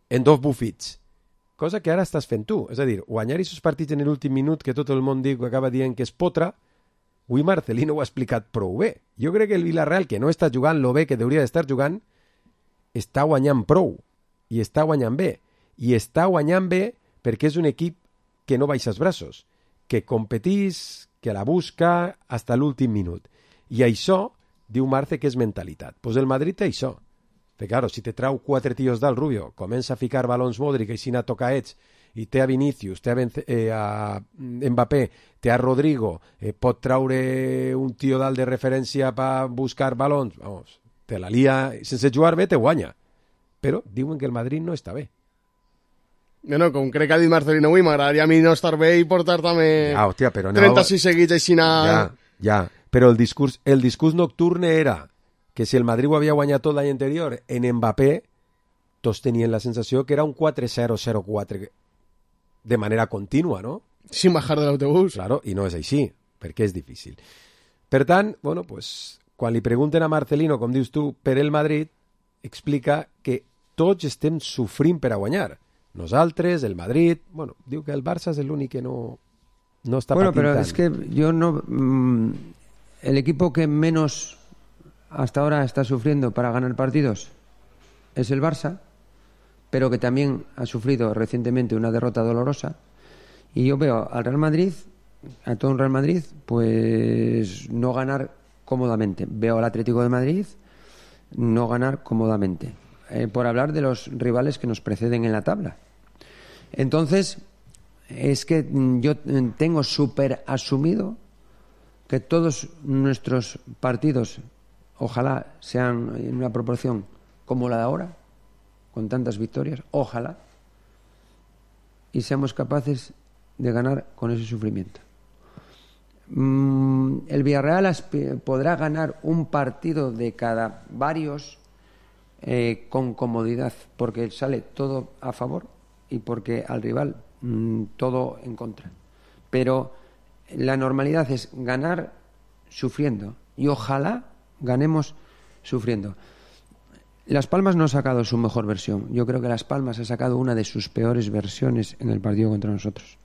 en dos bufits. Cosa que ara estàs fent tu. És a dir, guanyar aquests partits en l'últim minut que tot el món diu que acaba dient que és potra, avui Marcelino ho ha explicat prou bé. Jo crec que el Villarreal, que no està jugant lo bé que hauria d'estar jugant, està guanyant prou. I està guanyant bé. I està guanyant bé perquè és un equip que no baixa els braços, que competís, que la busca hasta l'últim minut. I això, diu Marce, que és mentalitat. Doncs pues el Madrid té això. Perquè, claro, si te trau quatre tios dalt, Rubio, comença a ficar balons Modric i si n'ha tocat ets, i té a Vinícius, té a, Benze, eh, a Mbappé, té a Rodrigo, eh, pot traure un tio dalt de referència per buscar balons, vamos, te la lia, sense jugar bé te guanya. Però diuen que el Madrid no està bé. Bueno, com crec que ha dit Marcelino avui, m'agradaria a mi no estar bé i portar també ja, hòstia, però trenta-sis seguits així na... Ja, ja, però el discurs, el discurs nocturne era que si el Madrid ho havia guanyat tot l'any anterior en Mbappé, tots tenien la sensació que era un quatre zero zero quatre de manera contínua, no? Sin bajar de l'autobús. Claro, i no és així, perquè és difícil. Per tant, bueno, pues, quan li pregunten a Marcelino, com dius tu, per el Madrid, explica que tots estem sofrint per a guanyar. Nosaltres, el Madrid... Bueno, diu que el Barça és l'únic que no, no está bueno, patintando. Pero es que yo no... Mmm, el equipo que menos hasta ahora está sufriendo para ganar partidos es el Barça, pero que también ha sufrido recientemente una derrota dolorosa. Y yo veo al Real Madrid, a todo un Real Madrid, pues no ganar cómodamente. Veo al Atlético de Madrid no ganar cómodamente. Eh, por hablar de los rivales que nos preceden en la tabla. Entonces, es que yo tengo súper asumido que todos nuestros partidos, ojalá sean en una proporción como la de ahora, con tantas victorias, ojalá, y seamos capaces de ganar con ese sufrimiento. Mm, el Villarreal podrá ganar un partido de cada varios eh, con comodidad, porque sale todo a favor y porque al rival mmm, todo en contra. Pero la normalidad es ganar sufriendo, y ojalá ganemos sufriendo. Las Palmas no ha sacado su mejor versión. Yo creo que Las Palmas ha sacado una de sus peores versiones en el partido contra nosotros,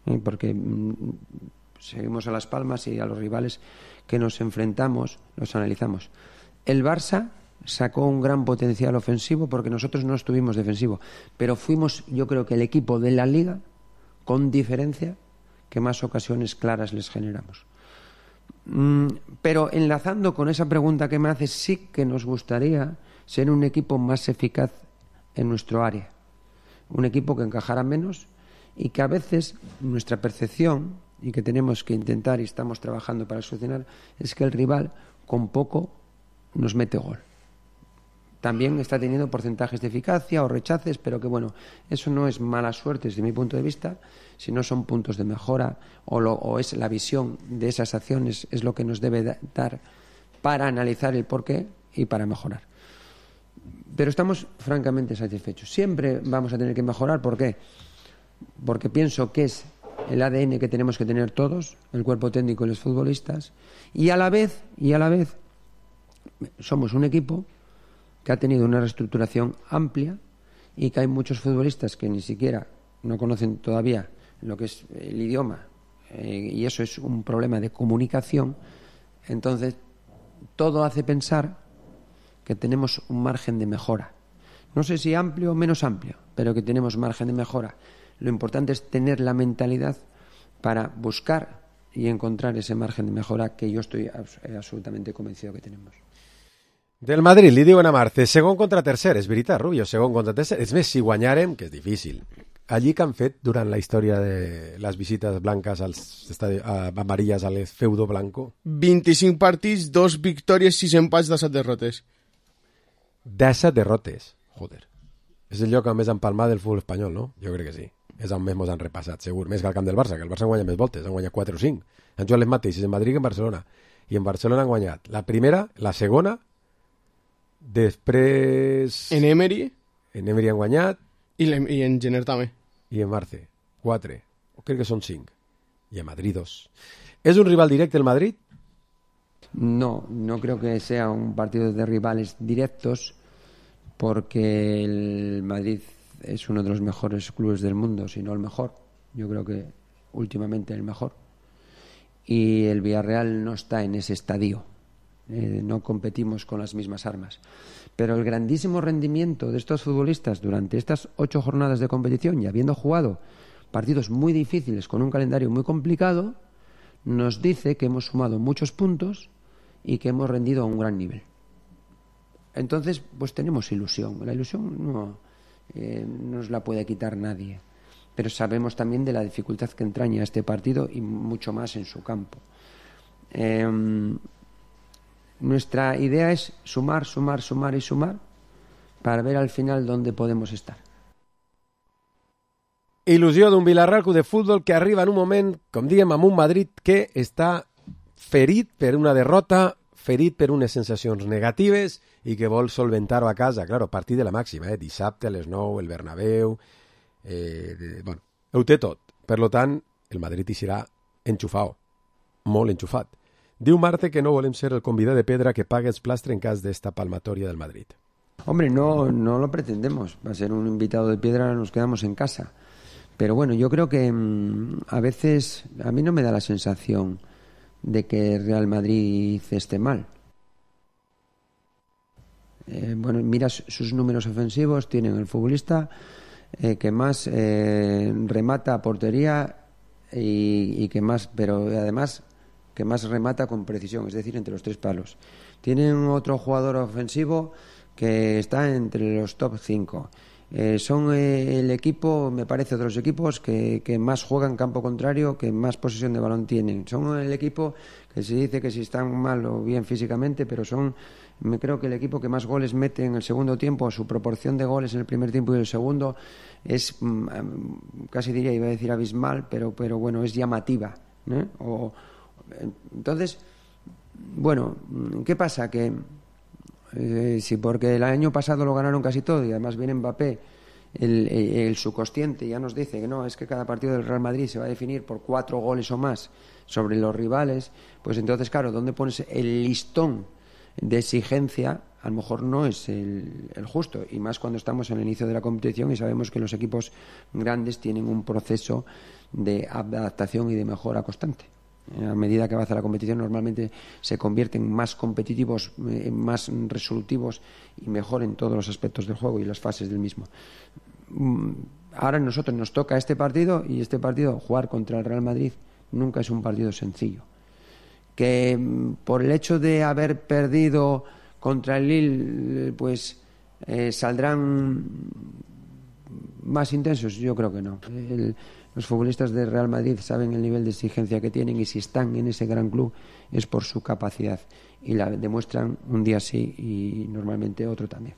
¿eh? Porque mmm, seguimos a Las Palmas y a los rivales que nos enfrentamos los analizamos. El Barça sacó un gran potencial ofensivo porque nosotros no estuvimos defensivo, pero fuimos, yo creo que el equipo de la Liga con diferencia que más ocasiones claras les generamos. Mm, pero enlazando con esa pregunta que me haces, sí que nos gustaría ser un equipo más eficaz en nuestro área, un equipo que encajara menos y que a veces nuestra percepción, y que tenemos que intentar y estamos trabajando para solucionar, es que el rival con poco nos mete gol. También está teniendo porcentajes de eficacia o rechaces, pero que bueno, eso no es mala suerte desde mi punto de vista, sino son puntos de mejora o, lo, o es la visión de esas acciones, es lo que nos debe da, dar para analizar el porqué y para mejorar. Pero estamos francamente satisfechos. Siempre vamos a tener que mejorar, ¿por qué? Porque pienso que es el A D N que tenemos que tener todos, el cuerpo técnico y los futbolistas, y a la vez, y a la vez somos un equipo que ha tenido una reestructuración amplia y que hay muchos futbolistas que ni siquiera no conocen todavía lo que es el idioma, eh, y eso es un problema de comunicación. Entonces, todo hace pensar que tenemos un margen de mejora. No sé si amplio o menos amplio, pero que tenemos margen de mejora. Lo importante es tener la mentalidad para buscar y encontrar ese margen de mejora que yo estoy abs- absolutamente convencido que tenemos. Del Madrid, li diuen a Marce, segon contra tercer, és veritat, Rubio, segon contra tercer. És més, si guanyarem, que és difícil. Allí que han fet durant la història de les visites blanques als estadi... a amarilles al feudo blanco? vint-i-cinc partits, dos victòries, sis empats, disset derrotes. disset derrotes, joder. És el lloc on més empalmat del futbol espanyol, no? Jo crec que sí. És on més mos han repassat, segur. Més que el camp del Barça, que el Barça han guanyat més voltes, han guanyat quatre o cinc. Han jugat les mateixes en Madrid que en Barcelona. I en Barcelona han guanyat la primera, la segona, després... En Emery. En Emery han guanyat. I, le, i en Jenner també. I en Marce. Quatre. O crec que són cinc. I a Madrid dos. És un rival directe el Madrid? No, no creo que sea un partido de rivales directos, porque el Madrid es uno de los mejores clubes del mundo, si no el mejor. Yo creo que últimamente el mejor. Y el Villarreal no está en ese estadio. Eh, no competimos con las mismas armas. Pero el grandísimo rendimiento de estos futbolistas durante estas ocho jornadas de competición, y habiendo jugado partidos muy difíciles con un calendario muy complicado, nos dice que hemos sumado muchos puntos y que hemos rendido a un gran nivel. Entonces, pues tenemos ilusión. La ilusión no eh, nos la puede quitar nadie. Pero sabemos también de la dificultad que entraña este partido y mucho más en su campo. Eh, nuestra idea es sumar, sumar, sumar y sumar para ver al final dónde podemos estar. Il·lusió d'un Villarreal Club de Futbol que arriba en un moment, com diem, amb un Madrid que està ferit per una derrota, ferit per unes sensacions negatives i que vol solventar-ho a casa. Claro, partit de la màxima, eh? Dissabte a les nou, el Bernabéu... Eh, de, bueno, ho té tot. Per lo tant, el Madrid hi serà enxufat, molt enxufat. Diu Marte que no volem ser el convidat de pedra que pague els plastres en cas d'esta palmatoria del Madrid. Hombre, no, no lo pretendemos. Va a ser un invitado de piedra, nos quedamos en casa. Pero bueno, yo creo que mmm, a veces a mí no me da la sensación de que Real Madrid esté mal. Eh, bueno, mira sus números ofensivos, tienen el futbolista eh, que más eh, remata a portería y, y que más, pero además que más remata con precisión, es decir, entre los tres palos. Tienen otro jugador ofensivo que está entre los top cinco. Eh, son eh, el equipo, me parece, de los equipos que, que más juegan campo contrario, que más posesión de balón tienen. Son el equipo que se dice que si están mal o bien físicamente, pero son, me creo que el equipo que más goles mete en el segundo tiempo. Su proporción de goles en el primer tiempo y el segundo es, mm, casi diría, iba a decir abismal, pero, pero bueno, es llamativa, ¿no? O, entonces, bueno, ¿qué pasa? Que Eh, sí, porque el año pasado lo ganaron casi todo y además viene Mbappé, el, el, el subconsciente ya nos dice que no, es que cada partido del Real Madrid se va a definir por cuatro goles o más sobre los rivales. Pues entonces, claro, ¿dónde pones el listón de exigencia? A lo mejor no es el, el justo, y más cuando estamos en el inicio de la competición y sabemos que los equipos grandes tienen un proceso de adaptación y de mejora constante. A medida que avanza la competición, normalmente se convierten más competitivos, eh, más resolutivos y mejor en todos los aspectos del juego y las fases del mismo. Ahora a nosotros nos toca este partido, y este partido, jugar contra el Real Madrid, nunca es un partido sencillo. Que por el hecho de haber perdido contra el Lille, pues eh, saldrán más intensos, yo creo que no. El, Los futbolistas de Real Madrid saben el nivel de exigencia que tienen, y si están en ese gran club es por su capacidad, y la demuestran un día sí y normalmente otro también.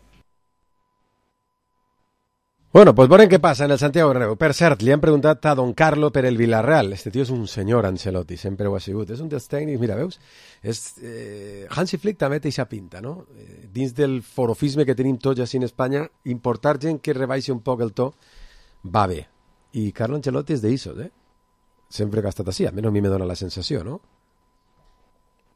Bueno, pues veurem què passa en el Santiago Bernabéu. Per cert, li han preguntat a Don Carlo per el Villarreal. Este tio és un senyor Ancelotti, sempre ho ha sigut. És un dels tècnics, mira, veus? És, eh, Hansi Flick també té eixa pinta, no? Eh, dins del forofisme que tenim tots així en Espanya, importar gent que rebaixi un poc el to va bé. I Carlo Ancelotti és d'Isos, eh? Sempre que ha estat així, almenys a mi me dona la sensació, no?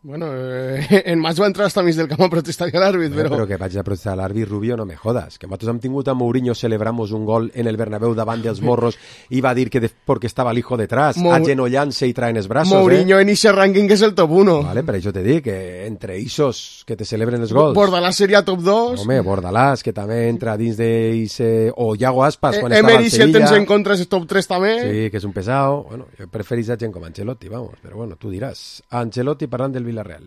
Bueno, eh, en Mas va entrar hasta mig del camp a protestar a l'àrbit, però... Però que vaig a protestar a l'àrbit, Rubio, no me jodas. Que nosaltres hem tingut a Mourinho, celebramos un gol en el Bernabéu davant dels morros i va dir que de, porque estava el hijo detrás, Mou... agenollant-se i traen els braços, Mourinho eh? en ese ranking que és el top uno. Vale, per això te dic que entre Isos que te celebren els gols... Bordalás seria top dos. Home, Bordalás, que també entra dins d'Ise... O Iago Aspas, quan eh, estava al Emery, Sevilla. si el tens en contra, és top tres també. Sí, que és un pesado. Bueno, jo preferís a gent com Ancelotti, vamos. Però bueno, tu diràs. Ancelotti parlant del Villarreal.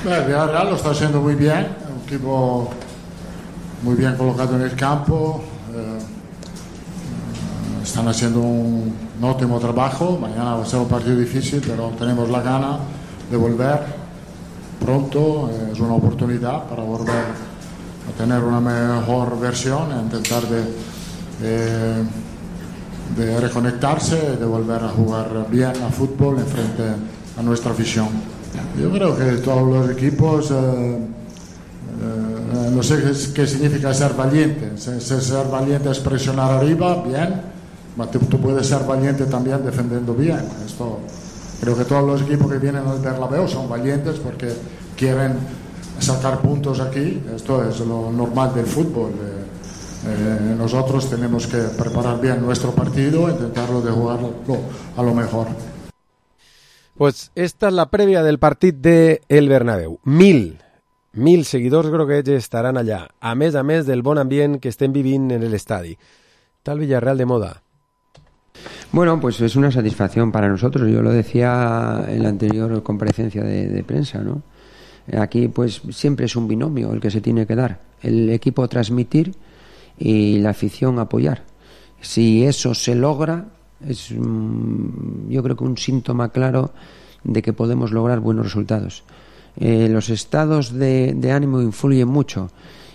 El Villarreal lo está haciendo muy bien, un equipo muy bien colocado en el campo, eh, están haciendo un, un óptimo trabajo. Mañana va a ser un partido difícil, pero tenemos la gana de volver pronto. Eh, es una oportunidad para volver a tener una mejor versión, a intentar de, eh, de reconectarse, de volver a jugar bien a fútbol en frente a nuestra afición. Yo creo que todos los equipos, eh, eh, no sé qué, qué significa ser valiente. Ser, ser valiente es presionar arriba, bien, pero tú puedes ser valiente también defendiendo bien. Esto Creo que todos los equipos que vienen al Bernabéu son valientes porque quieren sacar puntos aquí. Esto es lo normal del fútbol. Eh, eh, nosotros tenemos que preparar bien nuestro partido e intentarlo de jugarlo a lo mejor. Pues esta es la prèvia del partit de el Bernabéu. Mil, mil seguidors groguets estaran allà, a més a més del bon ambient que estem vivint en l'estadi. Tal Villarreal de moda. Bueno, pues es una satisfacción para nosotros. Yo lo decía en la anterior comparecencia de, de prensa, ¿no? Aquí pues siempre es un binomio el que se tiene que dar. El equipo transmitir y la afición apoyar. Si eso se logra, es um, yo creo que un síntoma claro de que podemos lograr buenos resultados. Eh, los estados de, de ánimo influyen mucho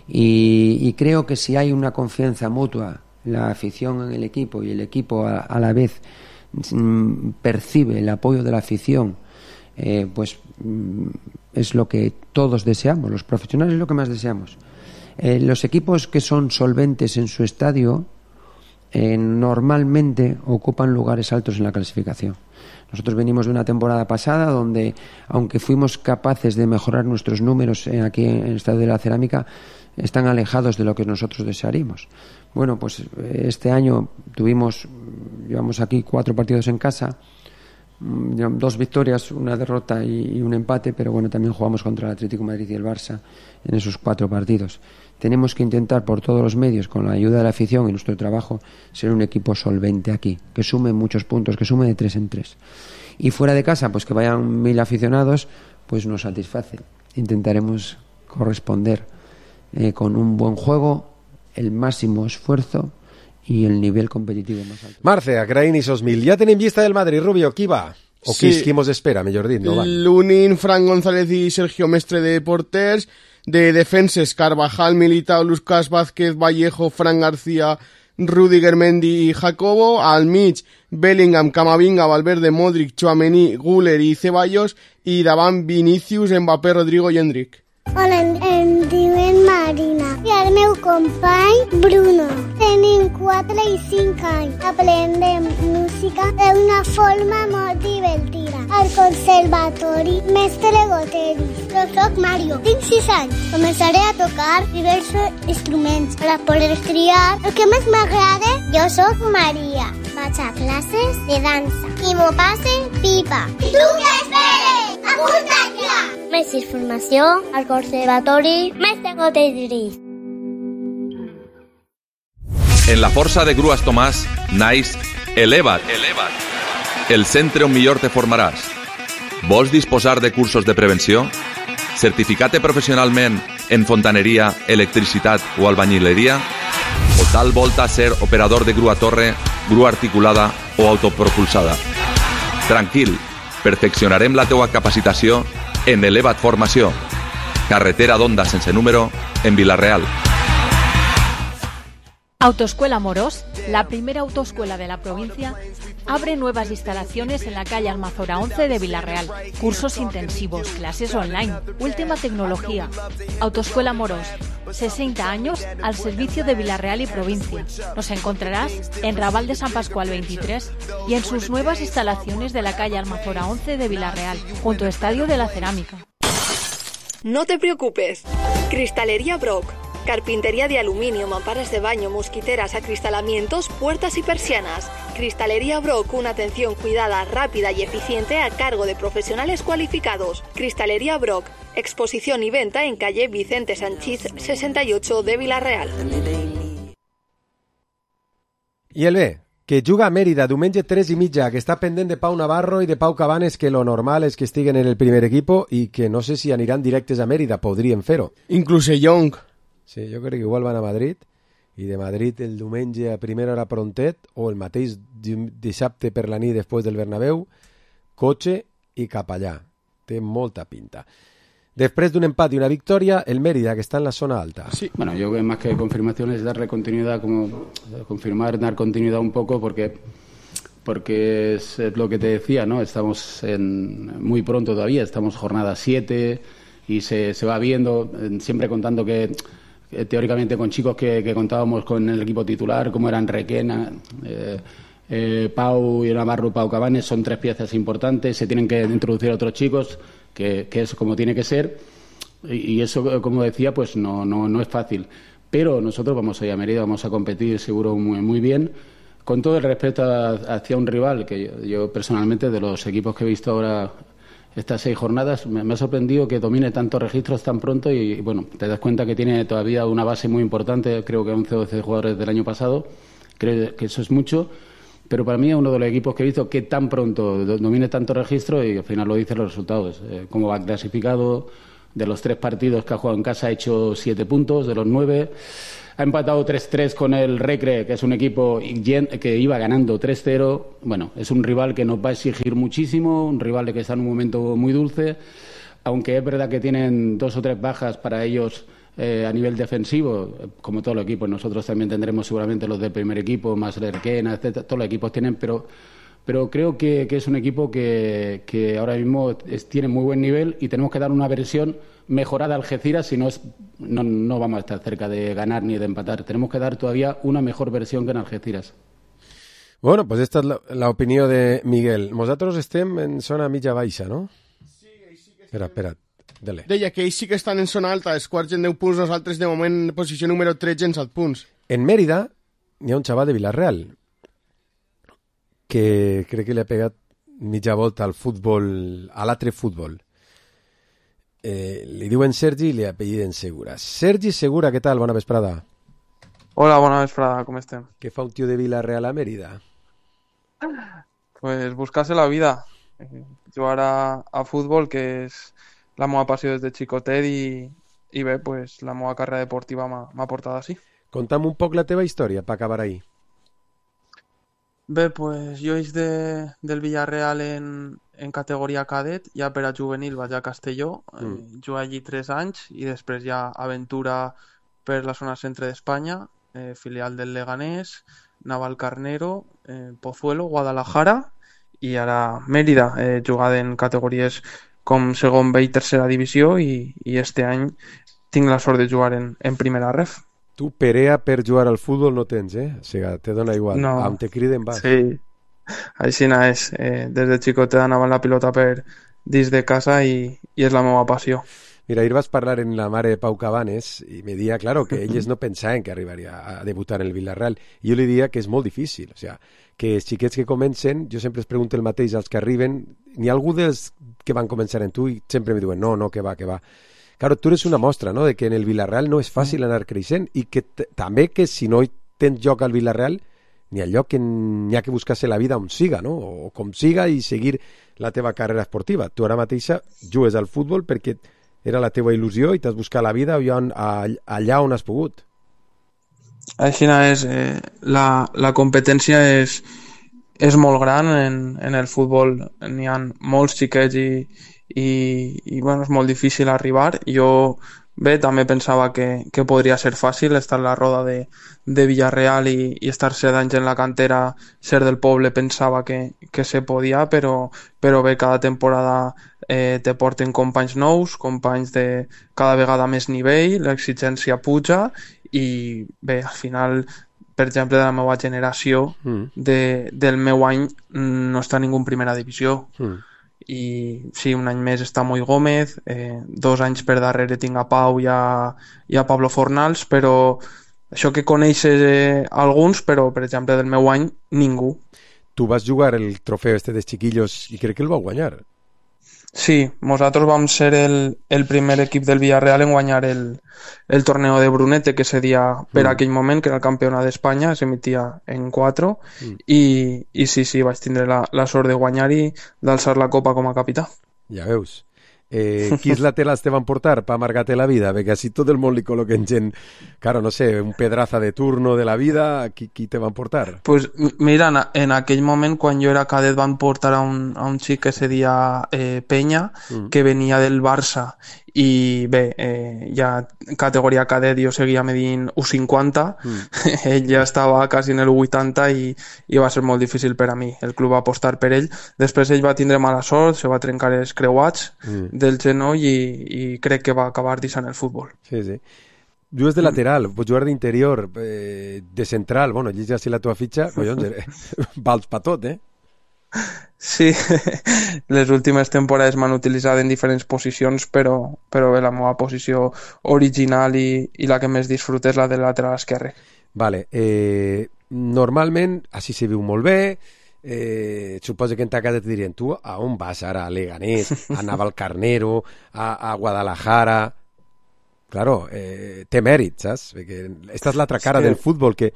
y, y creo que si hay una confianza mutua, la afición en el equipo y el equipo a, a la vez mm, percibe el apoyo de la afición, eh, pues mm, es lo que todos deseamos, los profesionales es lo que más deseamos. Eh, los equipos que son solventes en su estadio eh, normalmente ocupan lugares altos en la clasificación. Nosotros venimos de una temporada pasada donde, aunque fuimos capaces de mejorar nuestros números eh, aquí en el Estadio de la Cerámica, están alejados de lo que nosotros desearíamos. Bueno, pues este año tuvimos, llevamos aquí cuatro partidos en casa, dos victorias, una derrota y, y un empate, pero bueno, también jugamos contra el Atlético de Madrid y el Barça en esos cuatro partidos. Tenemos que intentar por todos los medios, con la ayuda de la afición y nuestro trabajo, ser un equipo solvente aquí, que sume muchos puntos, que sume de tres en tres. Y fuera de casa, pues que vayan mil aficionados, pues nos satisface. Intentaremos corresponder eh, con un buen juego, el máximo esfuerzo i el nivell competitiu més alt. Marce, agraïm esos mil. Ja tenim llista del Madrid, Rubio, qui va? O sí. qui, qui mos espera, millor dit, no van? Lunin, Fran González i Sergio Mestre de porters, de defenses Carvajal, Militao, Lucas Vázquez, Vallejo, Fran García, Rudiger, Mendy i Jacobo, al mig Bellingham, Camavinga, Valverde, Modric, Tchouaméni, Güler i Ceballos, i davant Vinícius, Mbappé, Rodrigo i Endrick. Hola, em diuen Marina i el meu company Bruno. Tenim quatre i cinc anys. Aprendem música d'una forma molt divertida. Al conservatori Mestre Goteris. Jo soc Mario, tinc sis anys. Començaré a tocar diversos instruments per a poder triar el que més m'agrada. Jo soc Maria. Vaig a classes de dansa. I m'ho passe pipa. I tu què esperes? Apunta't ja! Més informació al Conservatori Mestre Goteris. En la força de Grues Tomàs naix Eleva't, el centre on millor te formaràs. Vols disposar de cursos de prevenció? Certificat professionalment en fontaneria, electricitat o albañileria? O tal volta ser operador de grua torre, grua articulada o autopropulsada? Tranquil, perfeccionarem la teua capacitació en Eleva't Formació, carretera d'Onda sense número, en Vila-real. Autoescuela Morós, la primera autoescuela de la provincia, abre nuevas instalaciones en la calle Almazora once de Vila-real. Cursos intensivos, clases online, última tecnología. Autoescuela Morós, sesenta años al servicio de Vila-real y provincia. Nos encontrarás en Raval de San Pascual veintitrés y en sus nuevas instalaciones de la calle Almazora once de Vila-real, junto al Estadio de la Cerámica. No te preocupes. Cristalería Brock. Carpintería de aluminio, mamparas de baño, mosquiteras, acristalamientos, puertas y persianas. Cristalería Brock, una atención cuidada, rápida y eficiente a cargo de profesionales cualificados. Cristalería Brock, exposición y venta en calle Vicente Sanchís sesenta y ocho de Vila-real. I el B, que juga a Mèrida diumenge tres i mitja, que està pendent de Pau Navarro i de Pau Cabanes, que lo normal és que estiguen en el primer equipo i que no sé si aniran directes a Mèrida, podrien fer-ho. Inclús Young. Sí, jo crec que igual van a Madrid i de Madrid el diumenge a primera hora prontet o el mateix dissabte per la nit després del Bernabéu, cotxe i cap allà. Té molta pinta. Després d'un empat y una victoria, el Mérida, que está en la zona alta. Sí, bueno, yo creo que más que confirmación es darle continuidad, como confirmar, dar continuidad un poco, porque porque es lo que te decía, ¿no? Estamos en, muy pronto todavía, estamos jornada siete y se, se va viendo, siempre contando que teóricamente con chicos que, que contábamos con el equipo titular, como eran Requena, eh, eh, Pau y Navarro, Pau Cabanes son tres piezas importantes, se tienen que introducir a otros chicos, que, que es como tiene que ser, y, y eso, como decía, pues no, no, no es fácil. Pero nosotros vamos a ir a Mérida, vamos a competir seguro muy, muy bien, con todo el respeto a, hacia un rival, que yo, yo personalmente, de los equipos que he visto ahora estas seis jornadas, me, me ha sorprendido que domine tantos registros tan pronto y, y, bueno, te das cuenta que tiene todavía una base muy importante, creo que once o doce jugadores del año pasado, creo que eso es mucho, pero para mí es uno de los equipos que he visto que tan pronto domine tanto registro y al final lo dicen los resultados, eh, cómo va clasificado. De los tres partidos que ha jugado en casa ha hecho siete puntos, de los nueve. Ha empatado tres tres con el Recre, que es un equipo que iba ganando tres cero. Bueno, es un rival que nos va a exigir muchísimo, un rival que está en un momento muy dulce. Aunque es verdad que tienen dos o tres bajas para ellos eh, a nivel defensivo, como todos los equipos. Nosotros también tendremos seguramente los del primer equipo, más Lerquena, etcétera. Todos los equipos tienen, pero... Pero creo que, que es un equipo que, que ahora mismo es, tiene muy buen nivel y tenemos que dar una versión mejorada a Algeciras, si no, es, no, no vamos a estar cerca de ganar ni de empatar. Tenemos que dar todavía una mejor versión que en Algeciras. Bueno, pues esta es la, la opinió de Miguel. Nosaltres estem en zona mitja baixa, no? Sí, sí que espera, espera, dale. Deia que ells sí que estan en zona alta, els quarts en deu punts, nosaltres de moment en posició número tretze en set punts. En Mérida hi ha un xaval de Villarreal que crec que li ha pegat mitja volta al futbol, a l'altre futbol. Eh, li diuen Sergi i li apelliden Segura. Sergi Segura, què tal? Bona vesprada. Hola, bona vesprada, com estem? Què fa un tio de Villarreal a Mérida? Pues buscarse la vida. Eh, jugar a, a futbol, que és la meva passió des de xicotet i, i bé, pues la meva carrera deportiva m'ha portat així. Conta'm un poc la teva història per acabar ahí. Bé, pues jo és de, del Villarreal en, en categoria cadet, ja per a juvenil vaig a Castelló, mm. eh, jugué allí tres anys i després ja aventura per la zona centre d'Espanya, eh, filial del Leganés, Navalcarnero, eh, Pozuelo, Guadalajara i ara Mérida, eh, jugada en categories com segon B i tercera divisió i, i este any tinc la sort de jugar en, en primera ref. Tu perea per jugar al futbol no tens, eh? O sigui, te dona igual. No. On te criden vas. Sí, així és. Eh, des de xicotet anava la pilota per dins de casa i, i és la meva passió. Mira, ahir vas parlar en la mare de Pau Cabanes i me dia, claro, que ells no pensaven que arribaria a debutar en el Villarreal. I jo li dia que és molt difícil. O sigui, que els xiquets que comencen, jo sempre es pregunto el mateix als que arriben, n'hi ha algú dels que van començar en tu i sempre me diuen, no, no, que va, que va. Claro, tú eres una mostra, ¿no?, de que en el Villarreal no és fàcil anar creixent i que també que si no tens lloc al Villarreal n'hi ha lloc que n'hi ha que buscar-se la vida on siga, no?, o com siga i seguir la teva carrera esportiva. Tu ara mateixa jugues al futbol perquè era la teva il·lusió i t'has buscat la vida allà on has pogut. Així és, eh, la, la competència és, és molt gran en, en el futbol. N'hi ha molts xiquets i i, i bueno, és molt difícil arribar. Jo bé, també pensava que, que podria ser fàcil estar a la roda de, de Villarreal i, i estar set anys en la cantera, ser del poble, pensava que, que se podia, però, però bé, cada temporada eh, te porten companys nous, companys de cada vegada més nivell, l'exigència puja i bé, al final, per exemple, de la meva generació, mm. de, del meu any no està ningú en primera divisió. Mm. I sí, un any més està Moi Gómez, eh, dos anys per darrere tinc a Pau i a, i a Pablo Fornals, però això que coneixes eh, alguns, però per exemple del meu any ningú. Tu vas jugar el trofeu este de chiquillos i crec que el vau guanyar. Sí, nosaltres vam ser el, el primer equip del Villarreal en guanyar el, el torneo de Brunete, que seria per mm. aquell moment, que era el campionat d'Espanya, s'emitia en quatre, mm. i, i sí, sí, vaig tindre la, la sort de guanyar i d'alçar la copa com a capità. Ja veus. Eh, quins laterals te van portar para amargarte la vida? Perquè així tot el món li col·loquen gent, claro, no sé, un pedraza de turno de la vida, qui, qui te van portar? Pues mira, en, en aquell moment, quan jo era cadet, van portar a un, a un xic que se deia eh, Peña, mm. que venia del Barça, i bé, eh, ja categoria cadet jo seguia medint u cinquanta, mm. ell ja estava quasi en el u vuitanta i, i va ser molt difícil per a mi. El club va apostar per ell. Després ell va tindre mala sort, se va trencar els creuats mm. del genoll i, i crec que va acabar deixant el futbol. Sí, sí. jugues de lateral, pots jugar d'interior, eh, de central, bueno, llegeix així la teva fitxa, collons, vals pa tot, eh? Sí, les últimes temporades m'han utilitzat en diferents posicions, però, però bé, la meva posició original i, i la que més disfruto és la de lateral esquerre. Vale, eh, normalment així se viu molt bé, eh, suposo que en ta casa et dirien, tu a on vas ara? A Leganés, a Navalcarnero, a, a Guadalajara... Claro, eh, té mèrit, saps? Perquè esta és l'altra cara sí. del futbol, que,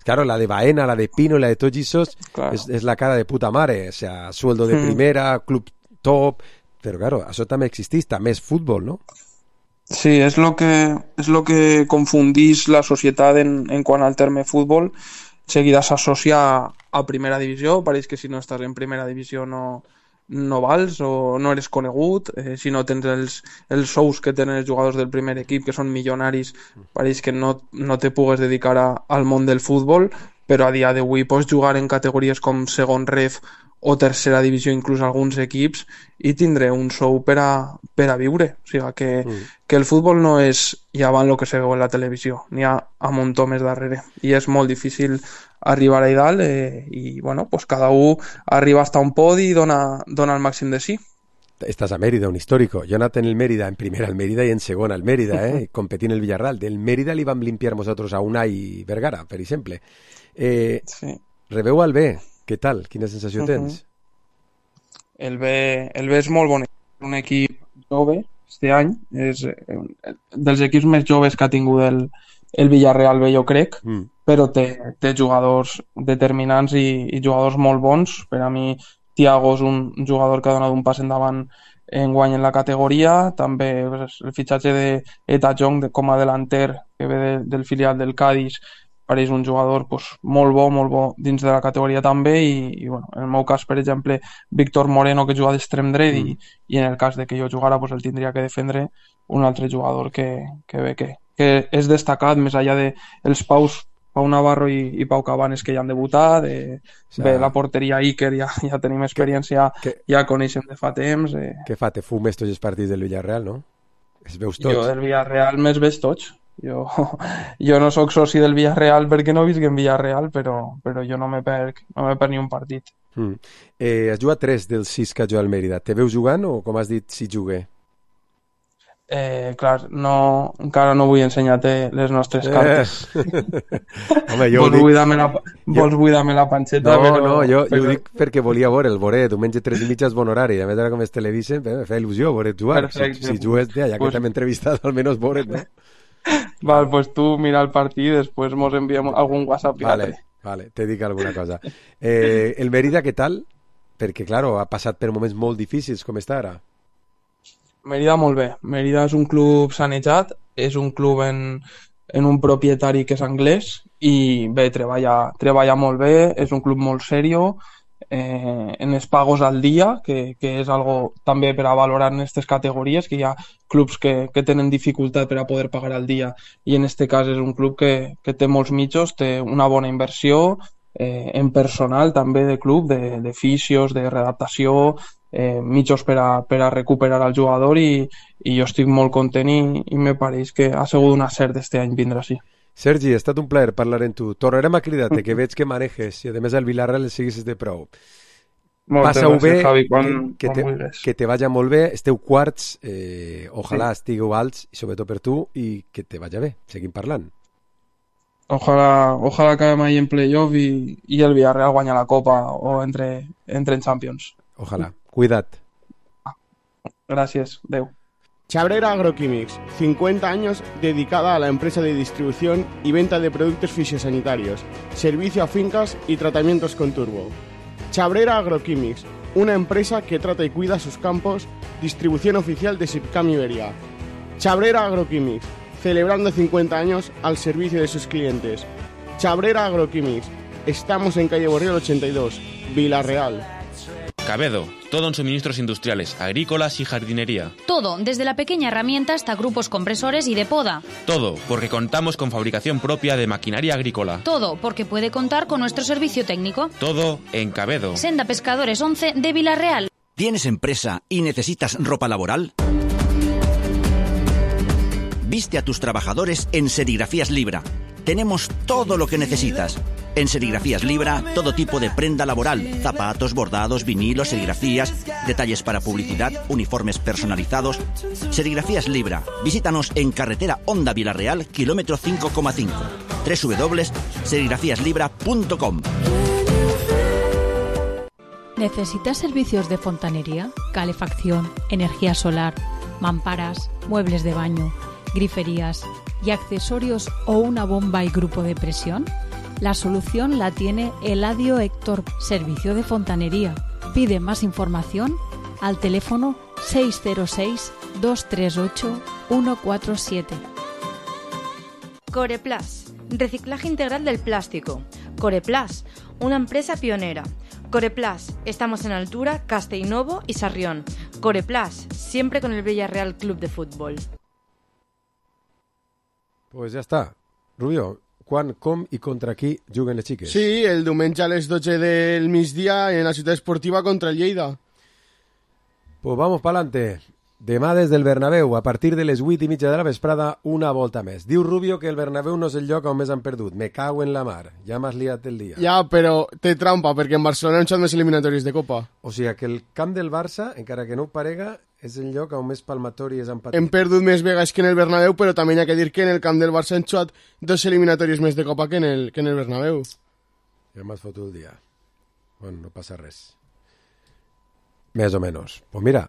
claro, la de Baena, la de Pino i la de tots aquests claro. és, és la cara de puta mare, o sea, sueldo de primera, mm. club top, però claro, això també existeix, també és futbol, no? Sí, és lo que, és lo que confundís la societat en, en quant al terme futbol, seguida s'associa a primera divisió, pareix que si no estàs en primera divisió no... no vals o no eres conegut, eh, si no tens els, els sous que tenen els jugadors del primer equip, que són milionaris, pareix que no, no te pugues dedicar a, al món del futbol, però a dia d'avui pots jugar en categories com segon ref o tercera divisió, inclús alguns equips, i tindré un sou per a, per a viure. O sigui que, mm. que el futbol no és ja van lo que se veu en la televisió, n'hi ha a muntó més darrere, i és molt difícil arribar a dalt eh, i bueno, pues cada un arriba hasta un podi i dona, dona el màxim de sí. Estás a Mérida, un histórico. Yo nací en el Mérida, en primera el Mérida y en segona el Mérida, eh? Competí en el Villarreal. Del Mérida li vam limpiar nosotros a Unai Vergara, per exemple. Eh, sí. Rebeu al B, què tal? Quina sensació uh -huh. tens? El B, el B és molt bonic. Un equip jove, este any, és dels equips més joves que ha tingut el, el Villarreal B, jo crec, mm. però té, té jugadors determinants i, i jugadors molt bons. Per a mi, Thiago és un jugador que ha donat un pas endavant en guany en la categoria. També pues, el fitxatge de Eta Jong de, com a delanter, que ve de, del filial del Cádiz, pareix un jugador pues, molt bo, molt bo dins de la categoria també, i, i bueno, en el meu cas, per exemple, Víctor Moreno, que juga d'extrem dret, mm. i, i en el cas de que jo jugara, pues, el tindria que defendre un altre jugador que, que ve que, que és destacat, més enllà de els Paus, Pau Navarro i, i Pau Cabanes, que ja han debutat, eh, o sea, bé, la porteria Iker, ja, ja tenim experiència, que, ja coneixem de fa temps. Eh. Què fa? Te fumes tots els partits del Villarreal, no? Es veus tots? Jo del Villarreal me'ls veig tots. Jo, jo no sóc soci del Villarreal perquè no visc en Villarreal, però, però jo no me perc, no me perc ni un partit. Mm. Eh, has jugat tres dels sis que ha jugat al Mérida. Te veus jugant o, com has dit, si jugué? Eh, clar, no, encara no vull ensenyar-te les nostres cartes. Eh. Home, jo vols dic... buidar-me la, vols buidar-me la panxeta, no, però... No, jo, però... jo ho dic perquè volia veure el Boret, diumenge tres i mitja és bon horari, a més ara com es televisen, me fa il·lusió Boret jugar. Perfecte. Si, si jugues, ja, ja que pues... t'hem entrevistat, almenys Boret, no? Val, pues tu mira el partit i després mos enviem algun WhatsApp. Vale, vale, te dic alguna cosa. Eh, el Mérida, què tal? Perquè, claro, ha passat per moments molt difícils, com està ara? Mérida molt bé. Mérida és un club sanejat, és un club en, en un propietari que és anglès i bé, treballa, treballa molt bé, és un club molt serio, eh, en els pagos al dia, que, que és algo també per a valorar en aquestes categories, que hi ha clubs que, que tenen dificultat per a poder pagar al dia, i en aquest cas és un club que, que té molts mitjos, té una bona inversió eh, en personal també de club, de, de fisios, de readaptació, eh, mitjos per a, per a recuperar el jugador, i, i jo estic molt content i, i me pareix que ha sigut un acert este any vindre així. Sergi, ha estat un plaer parlar amb tu. Tornarem a cridar-te, que veig que manejes i a més al Villarreal el siguis de prou. Passa-ho bé, Javi, quan, que, que, te, que te vaya molt bé, esteu quarts, eh, ojalà sí. estigueu alts, i sobretot per tu, i que te vaya bé, seguim parlant. Ojalà, ojalà acabem ahí en playoff i, i el Villarreal guanya la Copa o entre, entre en Champions. Ojalà, cuida't. Gracias, adeu. Chabrera Agroquímics, cincuenta años dedicada a la empresa de distribución y venta de productos fisiosanitarios, servicio a fincas y tratamientos con turbo. Chabrera Agroquímics, una empresa que trata y cuida sus campos, distribución oficial de Sipcam Iberia. Chabrera Agroquímics, celebrando cincuenta años al servicio de sus clientes. Chabrera Agroquímics, estamos en calle Borriol ochenta y dos, Villarreal. Cabedo, todo en suministros industriales, agrícolas y jardinería. Todo, desde la pequeña herramienta hasta grupos compresores y de poda. Todo, porque contamos con fabricación propia de maquinaria agrícola. Todo, porque puede contar con nuestro servicio técnico. Todo en Cabedo. Senda Pescadores once de Villarreal. ¿Tienes empresa y necesitas ropa laboral? Viste a tus trabajadores en Serigrafías Libra. Tenemos todo lo que necesitas. En Serigrafías Libra, todo tipo de prenda laboral, zapatos, bordados, vinilos, serigrafías, detalles para publicidad, uniformes personalizados. Serigrafías Libra. Visítanos en carretera Honda Vilarreal, kilómetro cinco coma cinco. doble u doble u doble u punto serigrafías libra punto com. ¿Necesitas servicios de fontanería, calefacción, energía solar, mamparas, muebles de baño, griferías y accesorios o una bomba y grupo de presión? La solución la tiene Eladio Héctor, servicio de fontanería. Pide más información al teléfono seis cero seis, dos tres ocho, uno cuatro siete. Coreplas, reciclaje integral del plástico. Coreplas, una empresa pionera. Coreplas, estamos en Altura, Castellnovo y Sarrión. Coreplas, siempre con el Villarreal Club de Fútbol. Pues ya está. Rubio, quan, com i contra qui juguen les xiques? Sí, el diumenge a les dotze del migdia en la ciutat esportiva contra el Lleida. Pues vamos pa'lante. Demà des del Bernabéu, a partir de les vuit i mitja de la vesprada, una volta més. Diu Rubio que el Bernabéu no és el lloc on més han perdut. Me cago en la mar. Ja m'has liat el dia. Ja, però té trampa, perquè en Barcelona han xat més eliminatoris de Copa. O sigui que el camp del Barça, encara que no ho parega, és el lloc on més palmatòries han patit. Hem perdut més vegades que en el Bernabéu, però també hi ha que dir que en el camp del Barça han xuat dos eliminatoris més de Copa que en el, que en el Bernabéu. Ja m'has fotut el dia. Bueno, no passa res. Més o menys. Pues mira,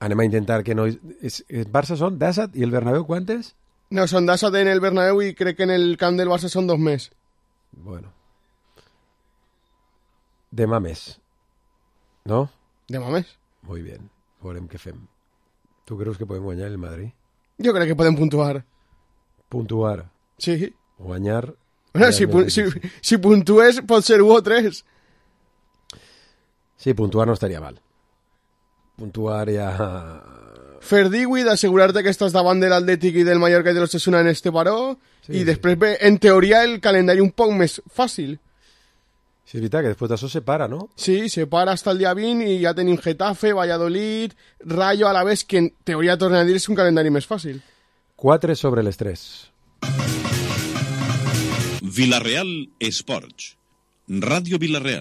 anem a intentar que no... Es, el Barça són disset i el Bernabéu quantes? No, són disset en el Bernabéu i crec que en el camp del Barça són dos més. Bueno. Demà més. No? Demà més. Muy bien. Veurem què fem. Tu creus que podem guanyar el Madrid? Jo crec que podem puntuar. Puntuar? Sí. Guanyar... Bueno, si, pu si, si puntues pot ser u o tres. Sí, puntuar no estaria mal. Puntuar ja... Fer díhuit, assegurar-te que estàs davant de l'Atlètic i del Mallorca i de l'Osasuna en este paró, sí, i després, sí. En teoria, el calendari un poc més fàcil. Sí, és veritat que després d'això se para, no? Sí, se para hasta el dia vint i ja tenim Getafe, Valladolid, Rayo, Alavés, que en teoria, torna a dir, és un calendari més fàcil. quatre sobre les tres. Vilareal Esports. Ràdio Vilareal.